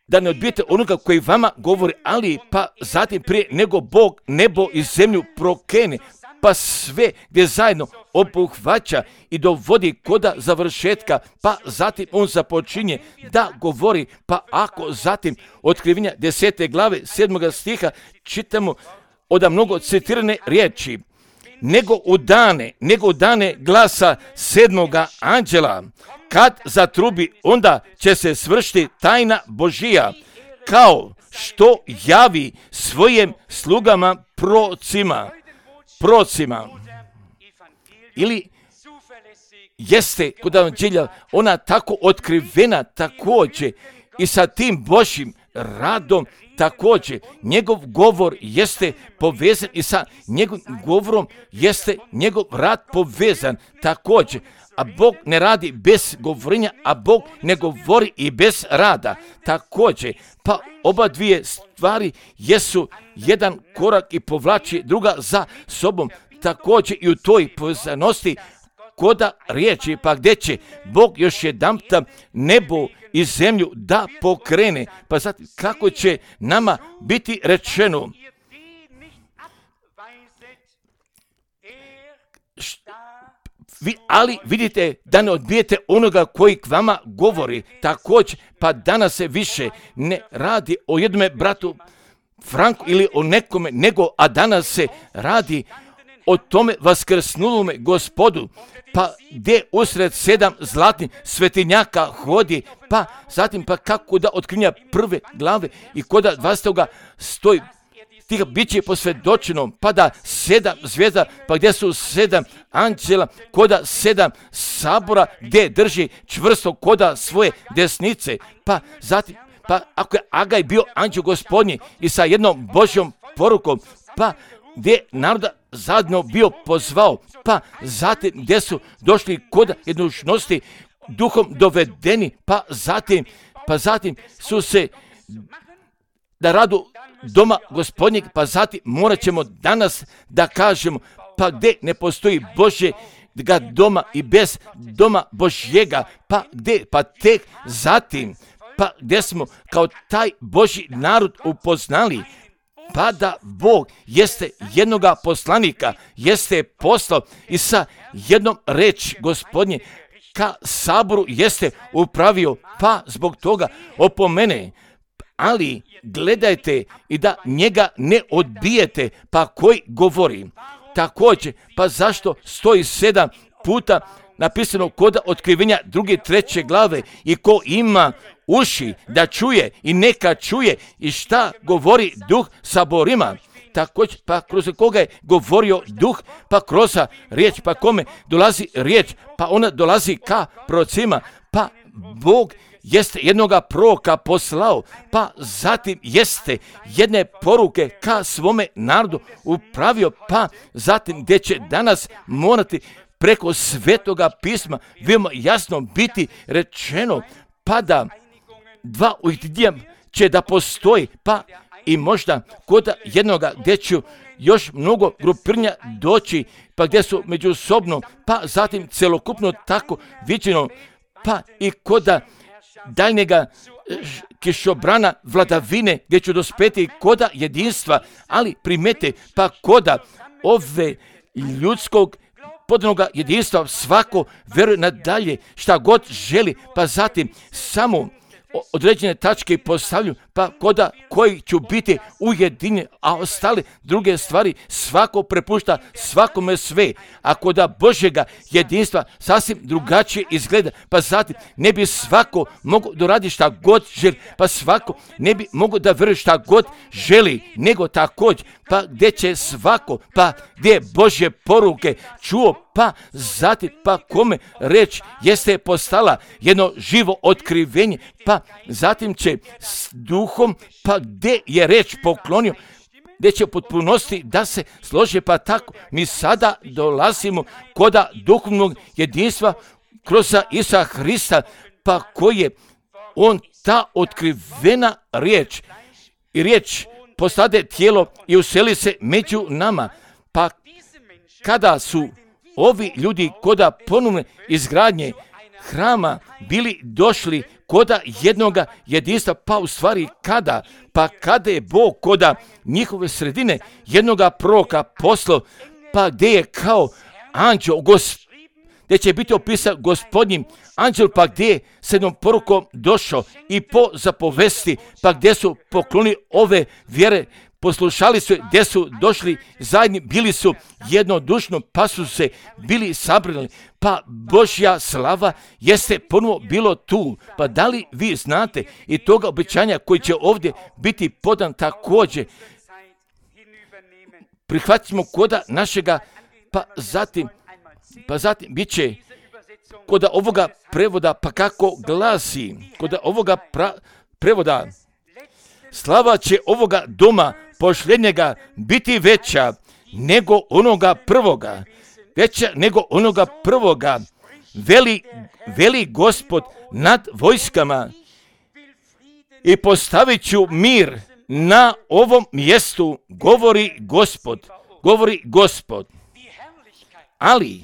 da ne odbijete onoga koji vama govori, ali pa zatim prije nego Bog nebo i zemlju prokene, pa sve gdje zajedno obuhvaća i dovodi koda završetka, pa zatim on započinje da govori, pa ako zatim otkrivenja desete glave sedmoga stiha čitamo od mnogo citirane riječi, nego u dane, nego u dane glasa sedmoga anđela, kad zatrubi, onda će se svršiti tajna Božija, kao što javi svojim slugama procima, procima. Ili jeste kod evanđelja ona tako otkrivena također i sa tim Božjim radom također. Njegov govor jeste povezan i sa njegovim govorom jeste njegov rad povezan također. A Bog ne radi bez govorenja, a Bog ne govori i bez rada. Također, pa oba dvije stvari jesu jedan korak i povlači druga za sobom. Također i u toj povezanosti koda riječi, pa gdje će Bog još jedanputa nebo i zemlju da pokrene, pa zatim kako će nama biti rečeno, Vi, ali vidite da ne odbijete onoga koji k vama govori. Također, pa danas se više ne radi o jednome bratu Franku ili o nekome, nego, a danas se radi o tome vaskrsnulome Gospodu, pa gdje usred sedam zlatnih svetinjaka hodi, pa zatim pa kako da otkrinja prve glave i koda dvastetoga stoji tih bit će posvjedočeno, pa da sedam zvijezda, pa gdje su sedam anđela, koda sedam sabora, gdje drži čvrsto koda svoje desnice, pa zatim, pa ako je Agaj bio anđeo Gospodnji i sa jednom Božjom porukom, pa gdje naroda zajedno bio pozvao, pa zatim gdje su došli koda jednušnosti duhom dovedeni, pa zatim, pa zatim su se da radu doma Gospodnjeg, pa zatim morat ćemo danas da kažemo, pa gdje ne postoji Božjega doma i bez doma Božjega, pa gdje, pa tek zatim, pa gdje smo kao taj Božji narod upoznali, pa da Bog jeste jednoga poslanika, jeste poslao i sa jednom reč Gospodnje ka saboru jeste upravio, pa zbog toga opomene, ali gledajte i da njega ne odbijete, pa koji govori. Također, pa zašto stoji sedam puta napisano koda otkrivenja druge treće glave i ko ima uši da čuje i neka čuje i šta govori duh saborima. Također, pa kroz koga je govorio duh, pa kroz riječ, pa kome dolazi riječ, pa ona dolazi ka prorocima, pa Bog jeste jednoga proroka poslao, pa zatim jeste jedne poruke ka svome narodu upravio, pa zatim gdje će danas morati preko svetoga pisma veoma jasno biti rečeno, pa da dva ujedinjenja će da postoji, pa i možda kod jednoga gdje će još mnogo grupirnja doći, pa gdje su međusobno, pa zatim celokupno tako viđeno, pa i koda daljnjega kišobrana vladavine gdje ću dospeti koda jedinstva, ali primete pa koda ove ljudskog podanoga jedinstva svako veruje nadalje šta god želi, pa zatim samo određene tačke postavljaju, pa koda koji ću biti ujedinjeni, a ostale druge stvari svako prepušta svakome sve. A koda Božjega jedinstva sasvim drugačije izgleda, pa zatim ne bi svako mogo da radi šta god želi, pa svako ne bi mogo da veruje šta god želi, nego također, pa gdje će svako, pa gdje je Božje poruke čuo, pa zatim, pa kome reč jeste postala jedno živo otkrivenje, pa zatim će s duhom, pa gdje je reč poklonio, gdje će potpunosti da se slože, pa tako mi sada dolazimo koda duhovnog jedinstva kroz Isusa Hrista, pa koji je on ta otkrivena riječ i riječ postade tijelo i useli se među nama, pa kada su ovi ljudi koda ponovne izgradnje hrama bili došli koda jednoga jedinstva, pa u stvari kada, pa kada je Bog koda njihove sredine jednoga proroka poslao, pa gdje je kao anđeo, gdje će biti opisan Gospodnjim anđel, pa gdje je s jednom porukom došao i po zapovesti, pa gdje su pokloni ove vjere, poslušali su, gdje su došli zajedni, bili su jednodušno, pa su se bili sabrali, pa Božja slava jeste ponovo bilo tu. Pa da li vi znate i toga obećanja koji će ovdje biti podan također, prihvatimo koda našega, pa zatim, pa zatim bit će koda ovoga prevoda, pa kako glasi, koda ovoga pra, prevoda, slava će ovoga doma posljednjega biti veća nego onoga prvoga, veća nego onoga prvoga, veli, veli Gospod nad vojskama i postavit ću mir na ovom mjestu, govori Gospod, govori Gospod. Ali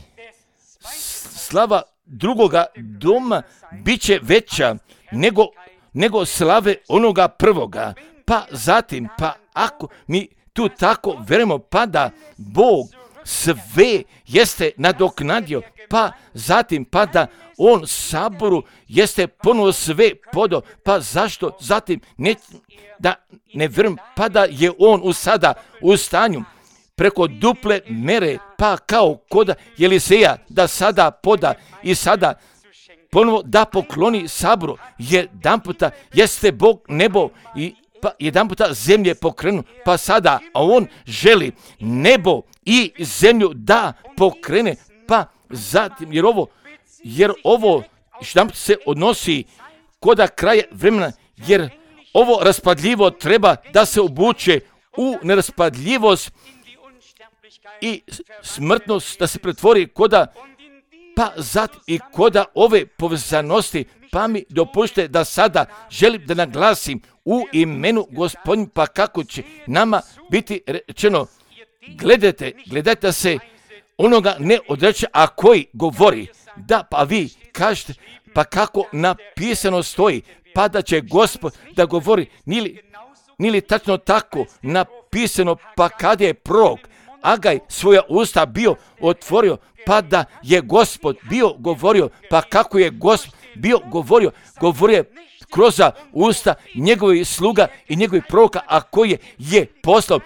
slava drugoga doma bit će veća nego, nego slave onoga prvoga. Pa zatim, pa ako mi tu tako verujemo, pa da Bog sve jeste nadoknadio, pa zatim, pa da on saboru jeste ponovo sve podao, pa zašto zatim ne, da ne vjerujem, pa da je on u sada u stanju preko duple mere, pa kao koda Eliseja da sada poda i sada ponovo da pokloni saboru. Jedan puta jeste Bog nebo i pa jedan puta zemlje pokrenu, pa sada a on želi nebo i zemlju da pokrene, pa zatim, jer ovo, jer ovo što se odnosi koda kraja vremena, jer ovo raspadljivo treba da se obuče u neraspadljivost i smrtnost da se pretvori koda, pa zatim i koda ove povezanosti, pa mi dopušte da sada želim da naglasim u imenu Gospodnju, pa kako će nama biti rečeno, gledajte, gledajte se onoga ne odreće, a koji govori, da pa vi kažete, pa kako napisano stoji, pa da će Gospod da govori, nili, nili tačno tako napisano, pa kad je prorok Agaj svoja usta bio otvorio, pa da je Gospod bio govorio, pa kako je Gospod bio govorio, govorio je kroz usta njegovih sluga i njegovih proroka, a koje je poslao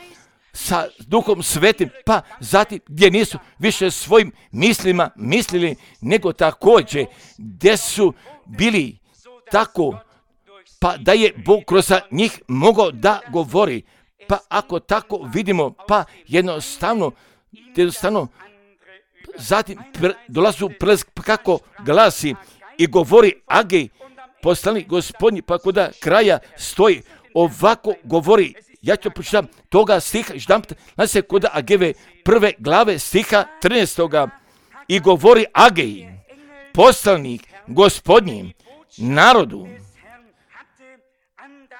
sa Duhom Svetim, pa zatim gdje nisu više svojim mislima mislili, nego također gdje su bili tako, pa da je Bog kroz njih mogao da govori. Pa ako tako vidimo, pa jednostavno, jednostavno zatim pre, dolazu prelaz, kako glasi i govori Agej, poslanik Gospodnji, pa kod kraja stoji, ovako govori, ja ću pročitam toga stiha, ždampte, znači se kod Ageve prve glave stiha trinaestoga i govori Agej, poslanik Gospodnji, narodu,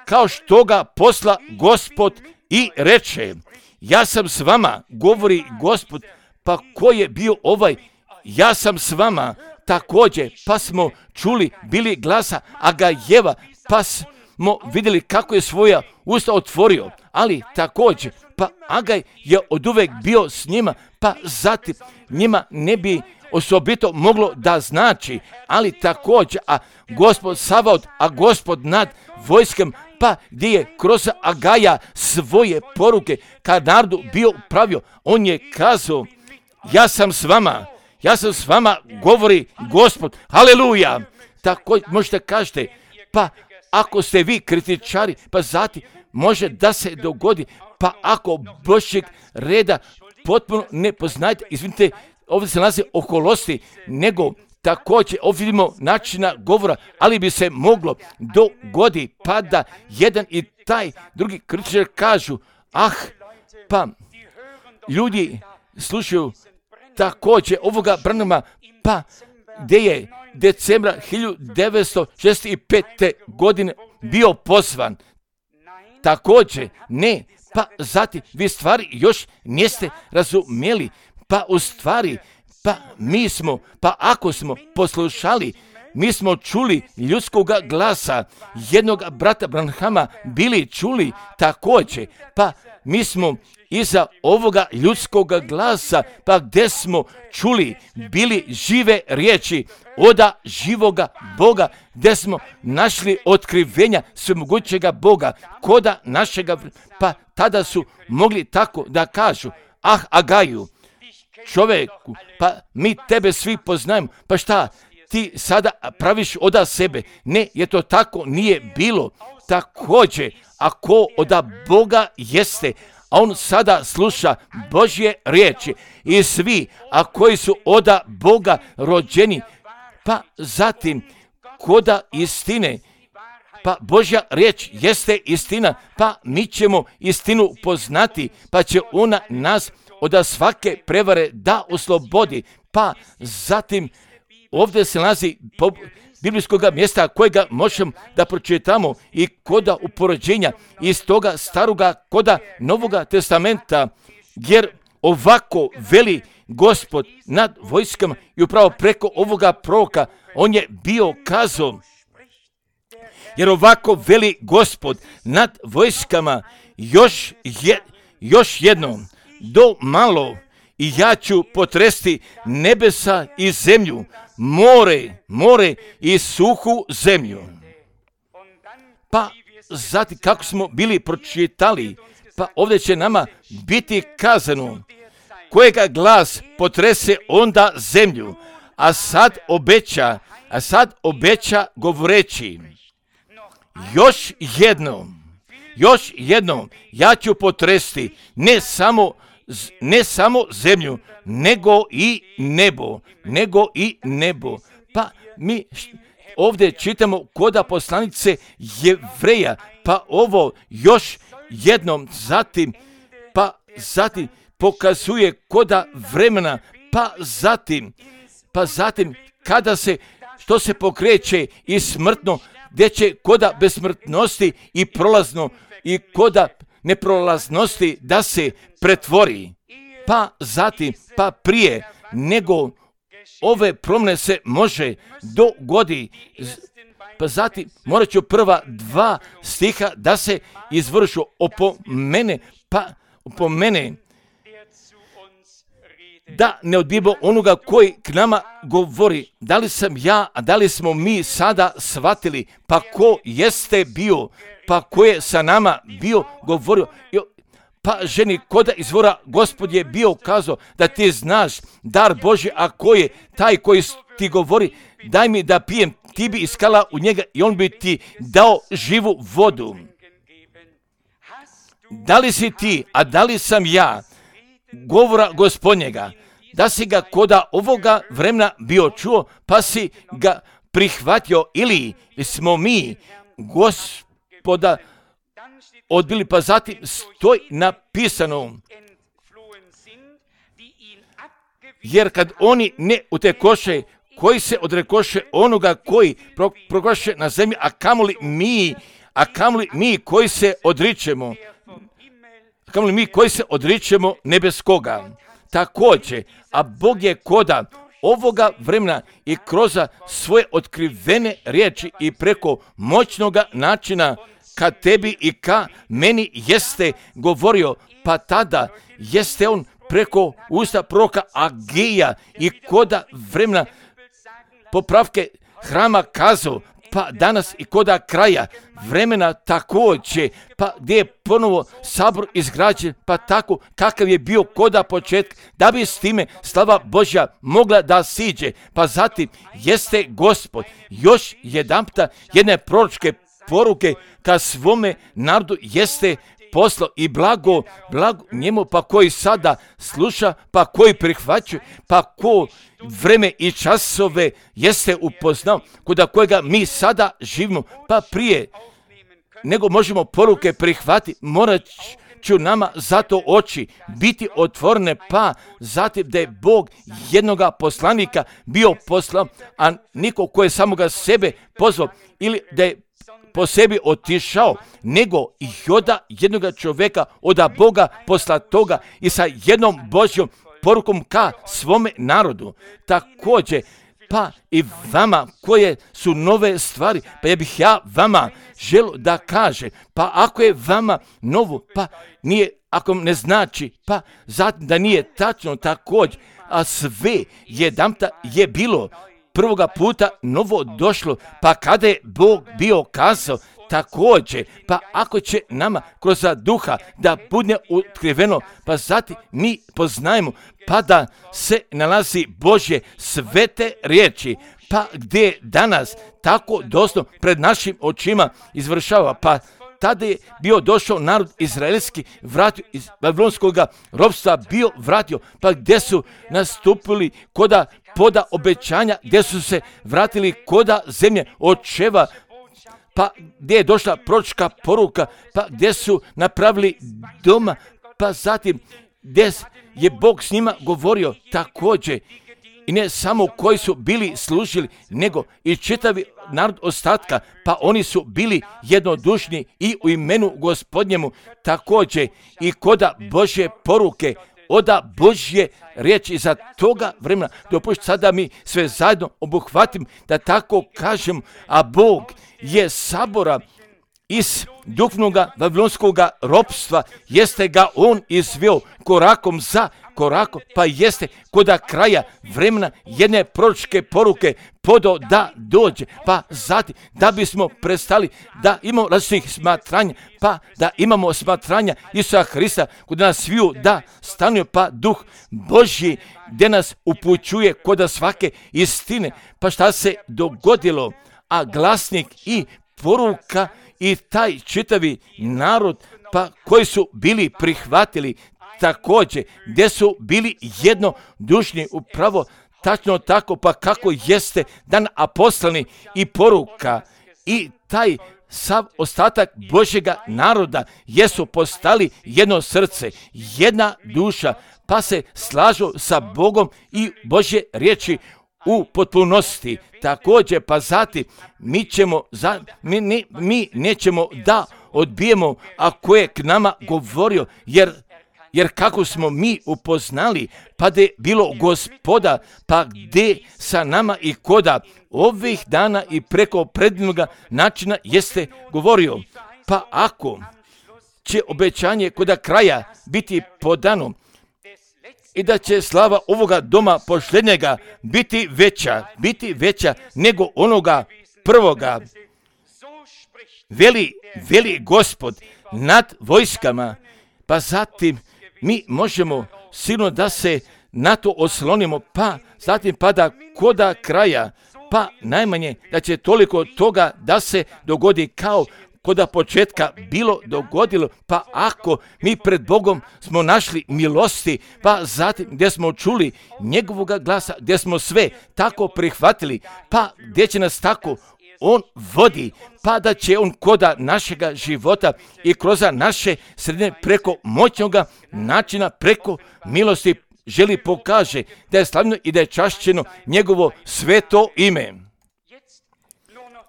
kao što ga posla Gospod i reče, ja sam s vama, govori Gospod, pa ko je bio ovaj, ja sam s vama, također, pa smo čuli, bili glasa Agajeva, pa smo vidjeli kako je svoja usta otvorio, ali također, pa Agaj je oduvek bio s njima, pa zatim njima ne bi osobito moglo da znači, ali također, a Gospod Savaot, a Gospod nad vojskom, pa gdje je kroz Agaja svoje poruke kad narodu bio pravio, on je kazao, ja sam s vama, ja sam s vama, govori Gospod, haleluja. Tako možete kažete, pa ako ste vi kritičari, pa zatim može da se dogodi, pa ako Božjeg reda potpuno ne poznajete, izvinite, ovdje se nalazi oholosti, nego također ovdje vidimo načina govora, ali bi se moglo dogodi pa da jedan i taj drugi kritičar kažu, ah, pa ljudi slušaju također ovoga Branhama, pa gdje je decembra hiljadu devetsto šezdeset pete. godine bio pozvan. Također, ne, pa zatim vi stvari još niste razumjeli, pa u stvari, pa mi smo, pa ako smo poslušali, mi smo čuli ljudskog glasa, jednog brata Branhama bili čuli također, pa mi smo iza ovoga ljudskog glasa, pa gdje smo čuli, bili žive riječi oda živoga Boga, gdje smo našli otkrivenja svemogućega Boga, koda našega, pa tada su mogli tako da kažu, ah Agaju, čovjeku, pa mi tebe svi poznajemo, pa šta, ti sada praviš oda sebe, ne, je to tako nije bilo, također, ako oda Boga jeste, a on sada sluša Božje riječi i svi, a koji su oda Boga rođeni, pa zatim koda istine, pa Božja riječ jeste istina, pa mi ćemo istinu poznati, pa će ona nas od svake prevare da oslobodi, pa zatim ovdje se nalazi biblijskog mjesta kojega možemo da pročitamo i koda upoređenja iz toga staroga koda Novoga testamenta, jer ovako veli Gospod nad vojskama i upravo preko ovoga proroka on je bio kazao, jer ovako veli Gospod nad vojskama, još, je, još jednom, do malo, i ja ću potresti nebesa i zemlju, more, more i suhu zemlju. Pa zatim kako smo bili pročitali, pa ovdje će nama biti kazano, kojega glas potrese onda zemlju, a sad obeća, a sad obeća govoreći, još jednom, još jednom, ja ću potresti ne samo, ne samo zemlju, nego i nebo, nego i nebo. Pa mi ovdje čitamo koda poslanice Jevreja, pa ovo još jednom, zatim, pa zatim pokazuje koda vremena, pa zatim, pa zatim kada se, što se pokreće i smrtno, gdje će koda besmrtnosti i prolazno i koda neprolaznosti da se pretvori. Pa zatim, pa prije nego ove promjene se može dogodi, pa zatim morat ću prva dva stiha da se izvršu opomene, pa opomene da ne odbijemo onoga koji k nama govori. Da li sam ja, a da li smo mi sada shvatili, pa ko jeste bio, pa ko je sa nama bio govorio, pa ženi koda izvora Gospod je bio kazao da ti znaš dar Božji, a ko je taj koji ti govori, daj mi da pijem, ti bi iskala u njega i on bi ti dao živu vodu. Da li si ti, a da li sam ja, govora Gospodnjega, da si ga koda ovoga vremena bio čuo, pa si ga prihvatio, ili smo mi Gospoda odbili, pa zatim stoji napisano, jer kad oni ne utekoše, koji se odrekoše onoga koji proglaše na zemlji, a kamoli mi, a kamoli mi koji se odričemo, kamoli mi koji se odričemo nebeskoga. Također, a Bog je koda ovoga vremena i kroz svoje otkrivene riječi i preko moćnoga načina ka tebi i ka meni jeste govorio, pa tada jeste on preko usta proroka Agija i koda vremena popravke hrama kazao, pa danas i koda kraja vremena također, pa gdje je ponovo sabor izgrađen, pa tako kakav je bio koda početka, da bi s time slava Božja mogla da siđe. Pa zatim jeste Gospod još jedanputa jedne proročke poruke ka svome narodu jeste poslo i blago, blago njemu, pa koji sada sluša, pa koji prihvaća, pa ko vreme i časove jeste upoznao, kod kojega mi sada živimo, pa prije nego možemo poruke prihvatiti, morat ću nama zato oči biti otvorene, pa zatim da je Bog jednoga poslanika bio poslao, a niko ko je samoga sebe pozvao, ili da je po sebi otišao, nego i oda jednoga čovjeka oda Boga posla toga i sa jednom Božjom porukom ka svome narodu. Također, pa i vama koje su nove stvari, pa ja bih ja vama želio da kaže, pa ako je vama novo, pa nije, ako ne znači, pa zatim da nije tačno također, a sve jedanputa je bilo prvoga puta novo došlo, pa kada je Bog bio kazao također, pa ako će nama kroz duha da bude otkriveno, pa zatim mi poznajemo, pa da se nalazi Božje svete riječi, pa gdje danas tako doslovno pred našim očima izvršava, pa tada je bio došao narod izraelski, vratio iz babilonskog ropstva, bio vratio, pa gdje su nastupili koda poda obećanja, gdje su se vratili koda zemlje očeva, pa gdje je došla proročka poruka, pa gdje su napravili doma, pa zatim gdje je Bog s njima govorio također, i ne samo koji su bili služili, nego i čitavi narod ostatka, pa oni su bili jednodušni i u imenu Gospodnjemu također i koda Božje poruke oda Božje riječi za toga vremena. Dopušti sada mi sve zajedno obuhvatim, da tako kažem, a Bog je sabora iz duhovnoga vavilonskoga ropstva, jeste ga on izveo korakom za korakom, pa jeste koda kraja vremena jedne proročke poruke podo da dođe, pa zatim da bismo prestali da imamo različitih smatranja, pa da imamo smatranja Isusa Hrista kod nas sviju da stanuje, pa Duh Božji gdje nas upućuje koda svake istine. Pa šta se dogodilo? A glasnik i poruka i taj čitavi narod, pa koji su bili prihvatili također, gdje su bili jednodušni, upravo tačno tako, pa kako jeste dan apostolni i poruka i taj sav ostatak Božjega naroda jesu postali jedno srce, jedna duša, pa se slažu sa Bogom i Božje riječi u potpunosti. Također, pa zatim mi ćemo, za, mi, mi, mi nećemo da odbijemo ako je k nama govorio, jer Jer kako smo mi upoznali, pa da je bilo Gospoda, pa gdje sa nama i koda ovih dana i preko predivnoga načina jeste govorio. Pa ako će obećanje koda kraja biti podano i da će slava ovoga doma posljednjega biti veća, biti veća nego onoga prvoga, veli, veli Gospod nad vojskama, pa zatim mi možemo sigurno da se na to oslonimo, pa zatim pada koda kraja, pa najmanje da će toliko toga da se dogodi kao koda početka bilo dogodilo, pa ako mi pred Bogom smo našli milosti, pa zatim gdje smo čuli njegovoga glasa, gdje smo sve tako prihvatili, pa gdje će nas tako on vodi, pa da će on koda našega života i kroz naše sredine preko moćnoga načina, preko milosti želi pokaže da je slavno i da je čašćeno njegovo sveto ime.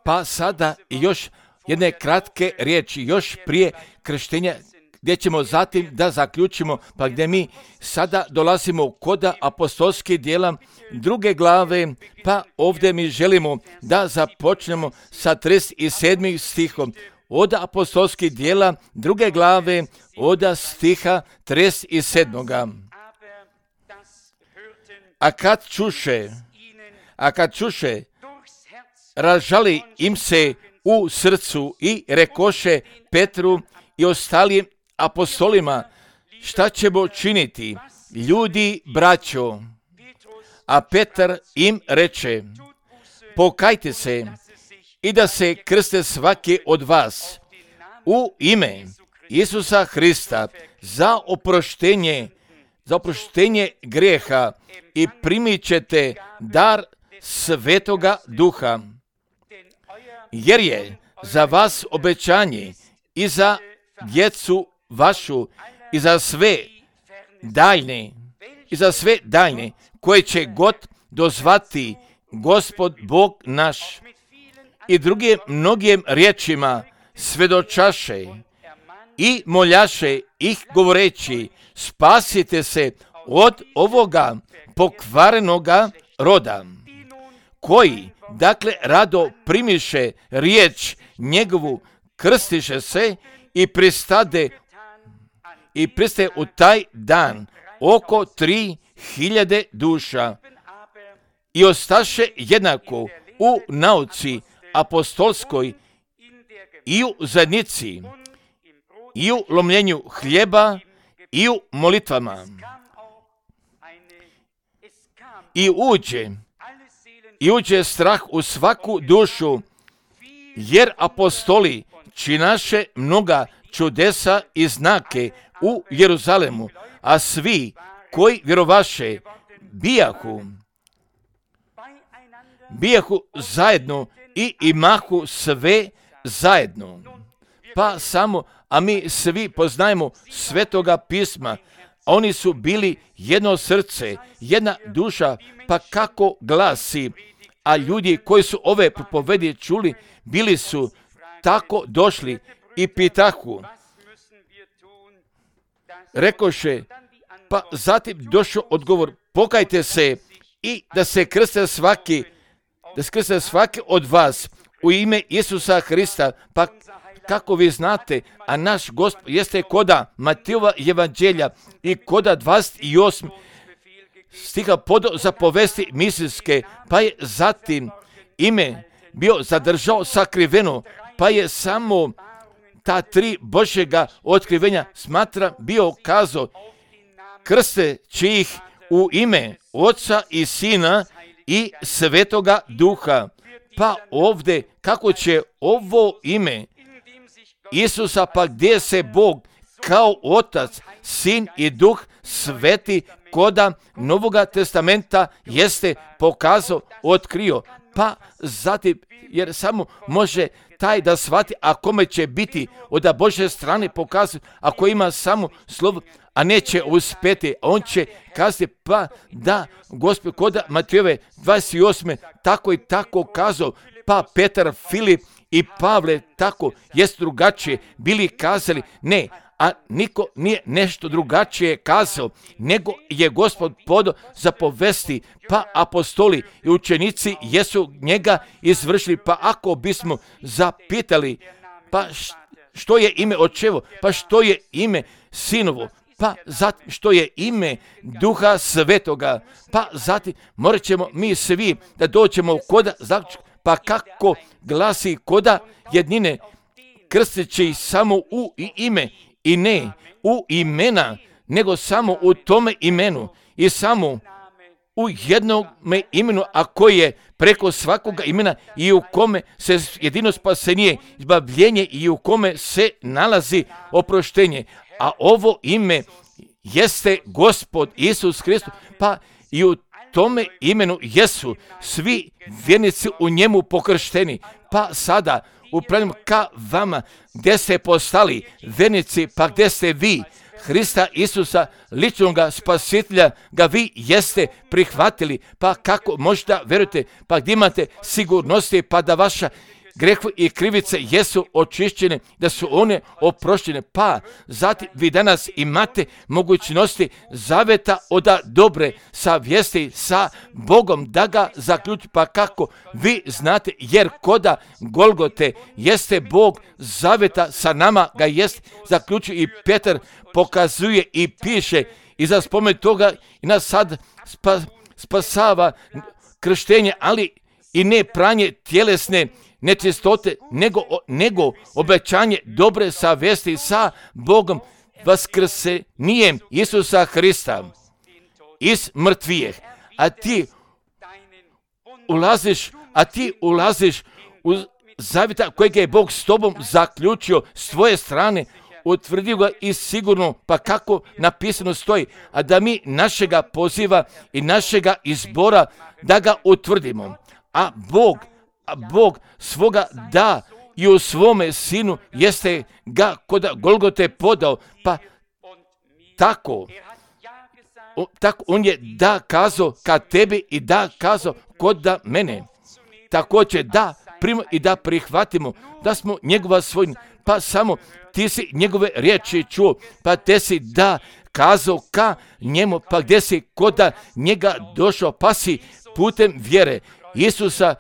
Pa sada još jedne kratke riječi, još prije krštenja, gdje ćemo zatim da zaključimo, pa gdje mi sada dolazimo koda apostolskih djela druge glave, pa ovdje mi želimo da započnemo sa trideset sedmim stihom. Od apostolskih djela druge glave, od stiha trideset sedmoga. A kad čuše, a kad čuše, razžali im se u srcu i rekoše Petru i ostalim apostolima, šta ćemo činiti, ljudi braćo? A Petar im reče, pokajte se i da se krste svaki od vas u ime Isusa Hrista za oproštenje, za oproštenje grijeha i primit ćete dar Svetoga Duha. Jer je za vas obećanje i za djecu vašu i za sve daljne, i za sve daljne koje će god dozvati Gospod Bog naš. I drugim mnogim riječima svedočaše i moljaše ih govoreći, spasite se od ovoga pokvarenoga roda, koji, dakle, rado primiše riječ njegovu, krstiše se i pristade i pristaje u taj dan oko tri hiljade duša i ostaše jednako u nauci apostolskoj i u zajednici i u lomljenju hljeba i u molitvama. I uđe i uđe strah u svaku dušu, jer apostoli činaše mnoga čudesa i znake u Jeruzalemu, a svi koji vjerovaše bijahu, bijahu zajedno i imahu sve zajedno. Pa samo, a mi svi poznajemo Svetoga pisma, oni su bili jedno srce, jedna duša, pa kako glasi, a ljudi koji su ove propovedi čuli, bili su tako došli i pitahu, rekoše, Pa zatim došao odgovor, pokajte se i da se krste svaki, da se krste svaki od vas u ime Isusa Hrista. Pa kako vi znate, a naš Gospod jeste koda Matijova evanđelja i koda dvadeset osam stiha podao za povesti misijske, pa je zatim ime bio zadržao sakriveno, pa je samo ta tri Božjega otkrivenja smatra bio kazao, krsteći ih u ime Oca i Sina i Svetoga Duha. Pa ovdje kako će ovo ime Isusa, pa gdje se Bog kao Otac, Sin i Duh Sveti koda Novoga testamenta jeste pokazao, otkrio. Pa zatim, jer samo može taj da shvati, a kome će biti od Božje strane pokazati, ako ima samo slovo, a neće uspjeti, on će kazati, pa da, Gospod, koda Matijove dvadeset osam tako i tako kazao, pa Petar, Filip i Pavle tako jest drugačije bili kazali, ne, a niko nije nešto drugačije kazao, nego je Gospod podao za povesti, pa apostoli i učenici jesu njega izvršili. Pa ako bismo zapitali, pa što je ime očevo, pa što je ime sinovo, pa zatim što je ime Duha Svetoga, pa zatim morat ćemo mi svi da dođemo koda zaključka, pa kako glasi koda jednine, krsteći samo u ime i ne u imena, nego samo u tome imenu i samo u jednom imenu, a koji je preko svakoga imena i u kome se jedino spasenje, izbavljenje i u kome se nalazi oproštenje. A ovo ime jeste Gospod Isus Hristos, pa i u tome imenu jesu svi vjernici u njemu pokršteni. Pa sada upravljam ka vama, gdje ste postali vjernici, pa gdje ste vi Hrista Isusa, ličnog spasitelja, ga vi jeste prihvatili, pa kako možda verujete, pa gdje imate sigurnosti, pa da vaša grehu i krivice jesu očišćene, da su one oproštene, pa zatim vi danas imate mogućnosti zaveta od dobre savjesti sa Bogom da ga zaključi, pa kako vi znate, jer koda Golgote jeste Bog zaveta sa nama, ga jest zaključio i Petar pokazuje i piše i za spomen toga i nas sad spa, spasava krštenje, ali i ne pranje tjelesne nečistote, nego, nego obećanje dobre savjesti sa Bogom vaskrsenjem Isusa Hrista iz mrtvijeh. A ti ulaziš, a ti ulaziš u zavjeta kojeg je Bog s tobom zaključio s tvoje strane, utvrdio ga i sigurno, pa kako napisano stoji, a da mi našega poziva i našega izbora da ga utvrdimo. A Bog A Bog svoga da i u svome sinu jeste ga kod Golgote podao, pa tako, o, tako on je da kazao ka tebi i da kazao kod da mene. Također da primo i da prihvatimo da smo njegova svojina, pa samo ti si njegove riječi čuo, pa te si da kazao ka njemu, pa gdje si kod da njega došao, pa si putem vjere Isusa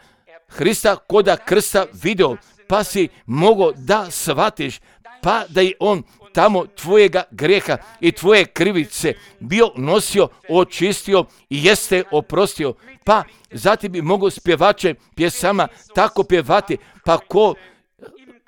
Hrista koda krsta video, pa si mogao da shvatiš, pa da je on tamo tvojega greha i tvoje krivice bio nosio, očistio i jeste oprostio, pa zatim bi mogao spjevače pjesama tako pjevati, pa ko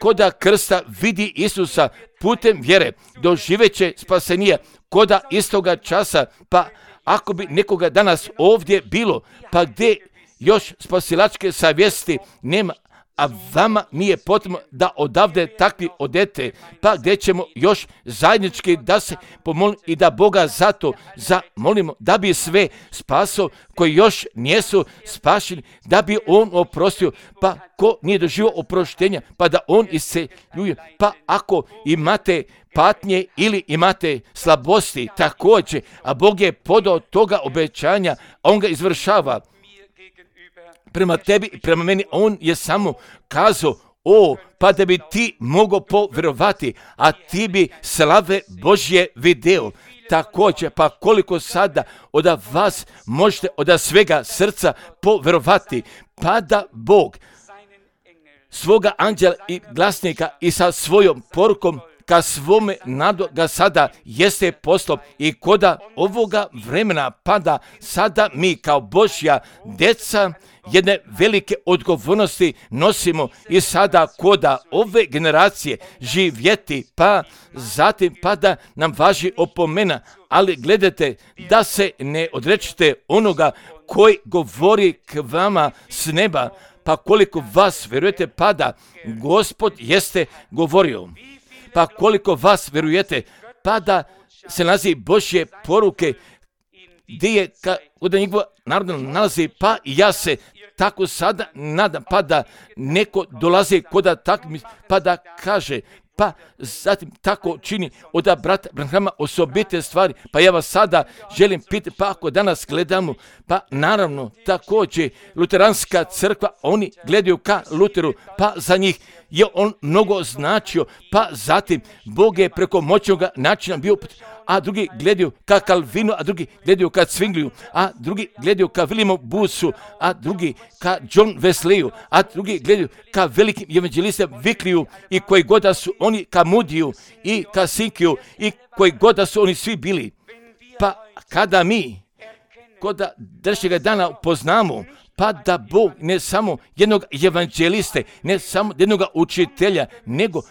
koda krsta vidi Isusa putem vjere, doživeće spasenija koda istoga časa, pa ako bi nekoga danas ovdje bilo, pa gdje još spasilačke savjesti nema, a vama nije potrebno da odavde takvi odete, pa gdje ćemo još zajednički da se pomolimo i da Boga zato zamolimo da bi sve spasao koji još nijesu spašeni, da bi on oprostio, pa ko nije doživio oproštenja, pa da on isceljuje, pa ako imate patnje ili imate slabosti također, a Bog je podao toga obećanja, a on ga izvršava prema tebi i prema meni, on je samo kazao, o, pa da bi ti mogao povjerovati, a ti bi slave Božje video, također, pa koliko sada od vas možete od svega srca poverovati, pa da Bog svoga anđela i glasnika i sa svojom porukom ka svome nadu ga sada jeste poslao i koda ovoga vremena pada sada mi kao Božja djeca jedne velike odgovornosti nosimo i sada koda ove generacije živjeti, pa zatim pada nam važi opomena, ali gledajte da se ne odrečite onoga koji govori k vama s neba, pa koliko vas vjerujete pada Gospod jeste govorio. Pa koliko vas vjerujete, pa da se nalazi Božje poruke, gdje je od njegova naroda nalazi, pa ja se tako sada nadam, pa da neko dolazi koda tak, pa da kaže, pa zatim tako čini od brata Branhama osobite stvari, pa ja vas sada želim pitati, pa ako danas gledamo, pa naravno također luteranska crkva, oni gledaju ka Luteru, pa za njih je on mnogo značio, pa zatim Bog je preko moćnog načina bio, a drugi gledaju ka Calvinu, a drugi gledaju ka Zwingliju, a drugi gledaju ka Williamu Boothu, a drugi ka John Wesleyu, a drugi gledaju ka velikim evanđelistima Wyclifeu i koji god da su oni ka Moodiju i ka Sinkiju i koji god da su oni svi bili. Pa kada mi kod današnjega dana poznamo, pa da Bog ne samo jednog evanđeliste, ne samo jednog učitelja, nego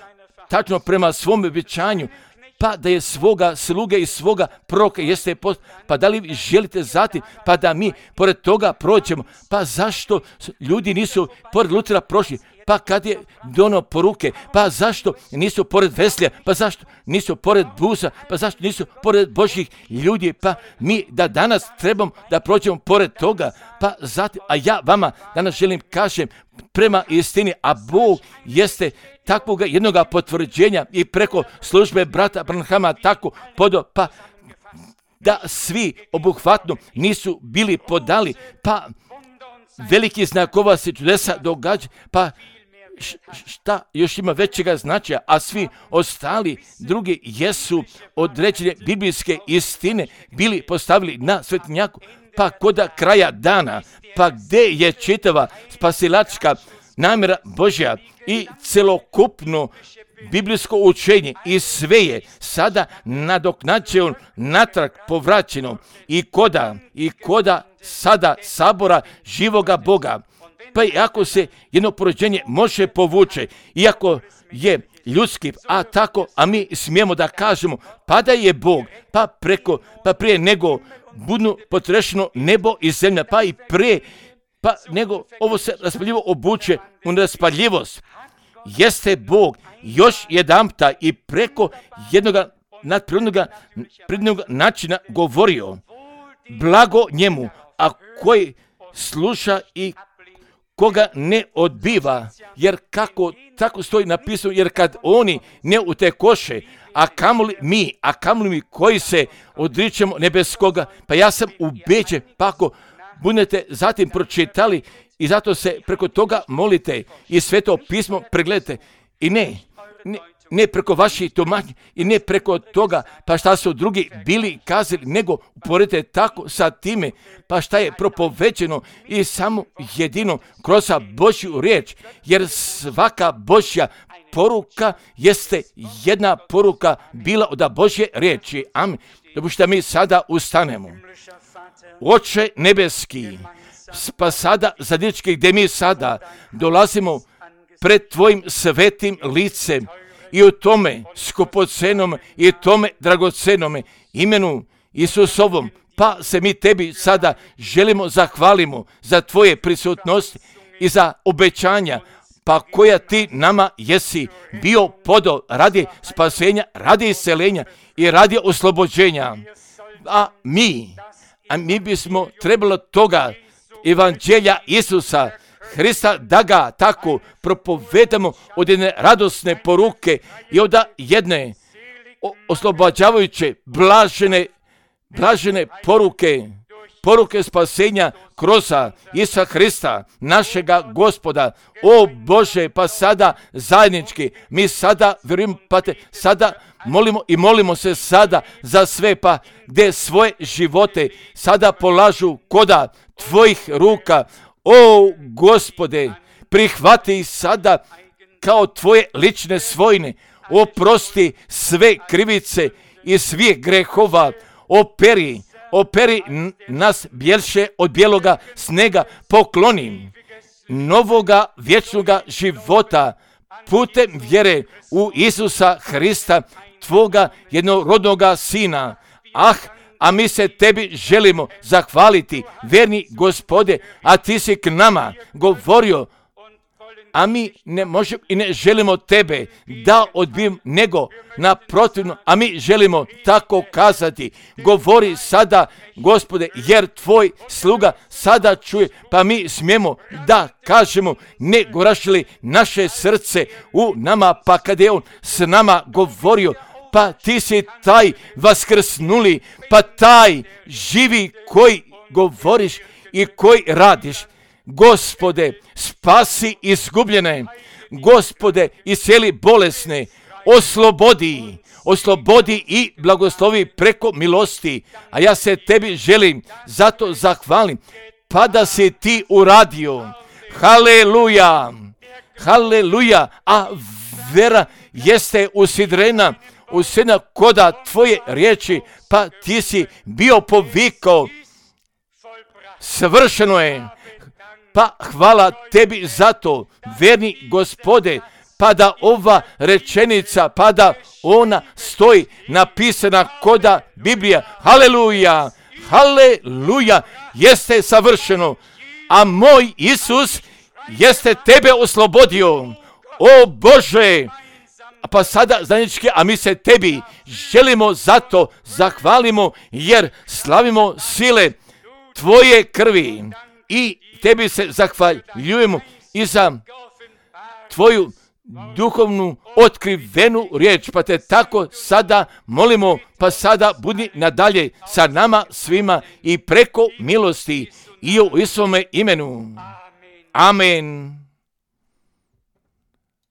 tačno prema svom obećanju, pa da je svoga sluge i svoga proroka jeste post, pa da li vi želite zatim, pa da mi pored toga prođemo, pa zašto ljudi nisu pored Lutera prošli, pa kad je dono poruke, pa zašto nisu pored Weslija, pa zašto nisu pored Busa, pa zašto nisu pored Božjih ljudi, pa mi da danas trebamo da prođemo pored toga, pa zatim, a ja vama danas želim kažem prema istini, a Bog jeste takvog jednog potvrđenja i preko službe brata Branhama tako podo, pa da svi obuhvatno nisu bili podali, pa veliki znakova se čudesa događa, pa šta još ima većega značaja, a svi ostali drugi jesu određene biblijske istine bili postavili na svetinjaku, pa koda kraja dana, pa gdje je čitava spasilačka namjera Božja i celokupno biblijsko učenje i sve je sada nadoknađeno, natrag povraćeno i koda, i koda sada sabora živoga Boga. Pa i ako se jedno porođenje može povuče, iako je ljudski, a tako, a mi smijemo da kažemo, pa da je Bog, pa preko, pa prije nego budu potrešeno nebo i zemlja, pa i prije, pa nego ovo se raspaljivo obuče u neraspaljivost. Jeste Bog još jedanputa i preko jednog nadprirodnog načina govorio, blago njemu, a koji sluša i koga ne odbiva, jer kako tako stoji napisano, jer kad oni ne utekoše, a kamoli mi, a kamoli mi koji se odričemo nebeskoga, pa ja sam ubeđen, pa ako budete zatim pročitali i zato se preko toga molite i Sveto pismo pregledajte i ne, ne, ne preko vaših tumačenja i ne preko toga pa šta su drugi bili kazali, nego uporedite tako sa time pa šta je propovećeno i samo jedino kroz Božju riječ, jer svaka Božja poruka jeste jedna poruka bila od Božje riječi. Amen. Dopušte mi sada ustanemo. Oče nebeski, pa sada zadnjički gdje mi sada dolazimo pred tvojim svetim licem i u tome skupocenom i tome dragocenome imenu Isusovom, pa se mi tebi sada želimo zahvalimo za tvoje prisutnosti i za obećanja, pa koja ti nama jesi bio podo radi spasenja, radi isceljenja i radi oslobođenja. A mi, a mi bismo trebalo toga evanđelja Isusa Hrista da ga tako propovedamo od jedne radosne poruke i od jedne oslobađavajuće blažene, blažene poruke, poruke spasenja kroz Isusa Hrista, našega Gospoda. O Bože, pa sada zajednički, mi sada, vjerujem, pa te, sada molimo i molimo se sada za sve, pa gdje svoje živote sada polažu koda tvojih ruka. O Gospode, prihvati ih sada kao tvoje lične svojine. Oprosti sve krivice i svih grehova. Operi, operi nas bjelše od bijeloga snega. Pokloni novoga vječnoga života putem vjere u Isusa Hrista, tvoga jednorodnoga Sina. Ah, a mi se tebi želimo zahvaliti, verni Gospode, a ti si k nama govorio, a mi ne možemo i ne želimo tebe da odbijem, nego naprotivno, a mi želimo tako kazati. Govori sada, Gospode, jer tvoj sluga sada čuje, pa mi smijemo da kažemo, ne gorašili naše srce u nama, pa kad je on s nama govorio, pa ti si taj vaskrsnuli, pa taj živi koji govoriš i koji radiš. Gospode, spasi izgubljene, Gospode, iscijeli bolesne, oslobodi, oslobodi i blagoslovi preko milosti, a ja se tebi želim, zato zahvalim, pa da si ti uradio. Haleluja, haleluja, a vera jeste usidrena, usidrena koda tvoje riječi, pa ti si bio povikao, svršeno je. Pa hvala tebi za to, verni Gospode, pa da ova rečenica, pa da ona stoji napisana koda Biblija. Haleluja, haleluja, jeste savršeno, a moj Isus jeste tebe oslobodio. O Bože, pa sada zajednički, a mi se tebi želimo zato zahvalimo, jer slavimo sile tvoje krvi i tebi se zahvaljujemo i za tvoju duhovnu otkrivenu riječ, pa te tako sada molimo, pa sada budi nadalje sa nama svima i preko milosti i u Isuvome imenu. Amen.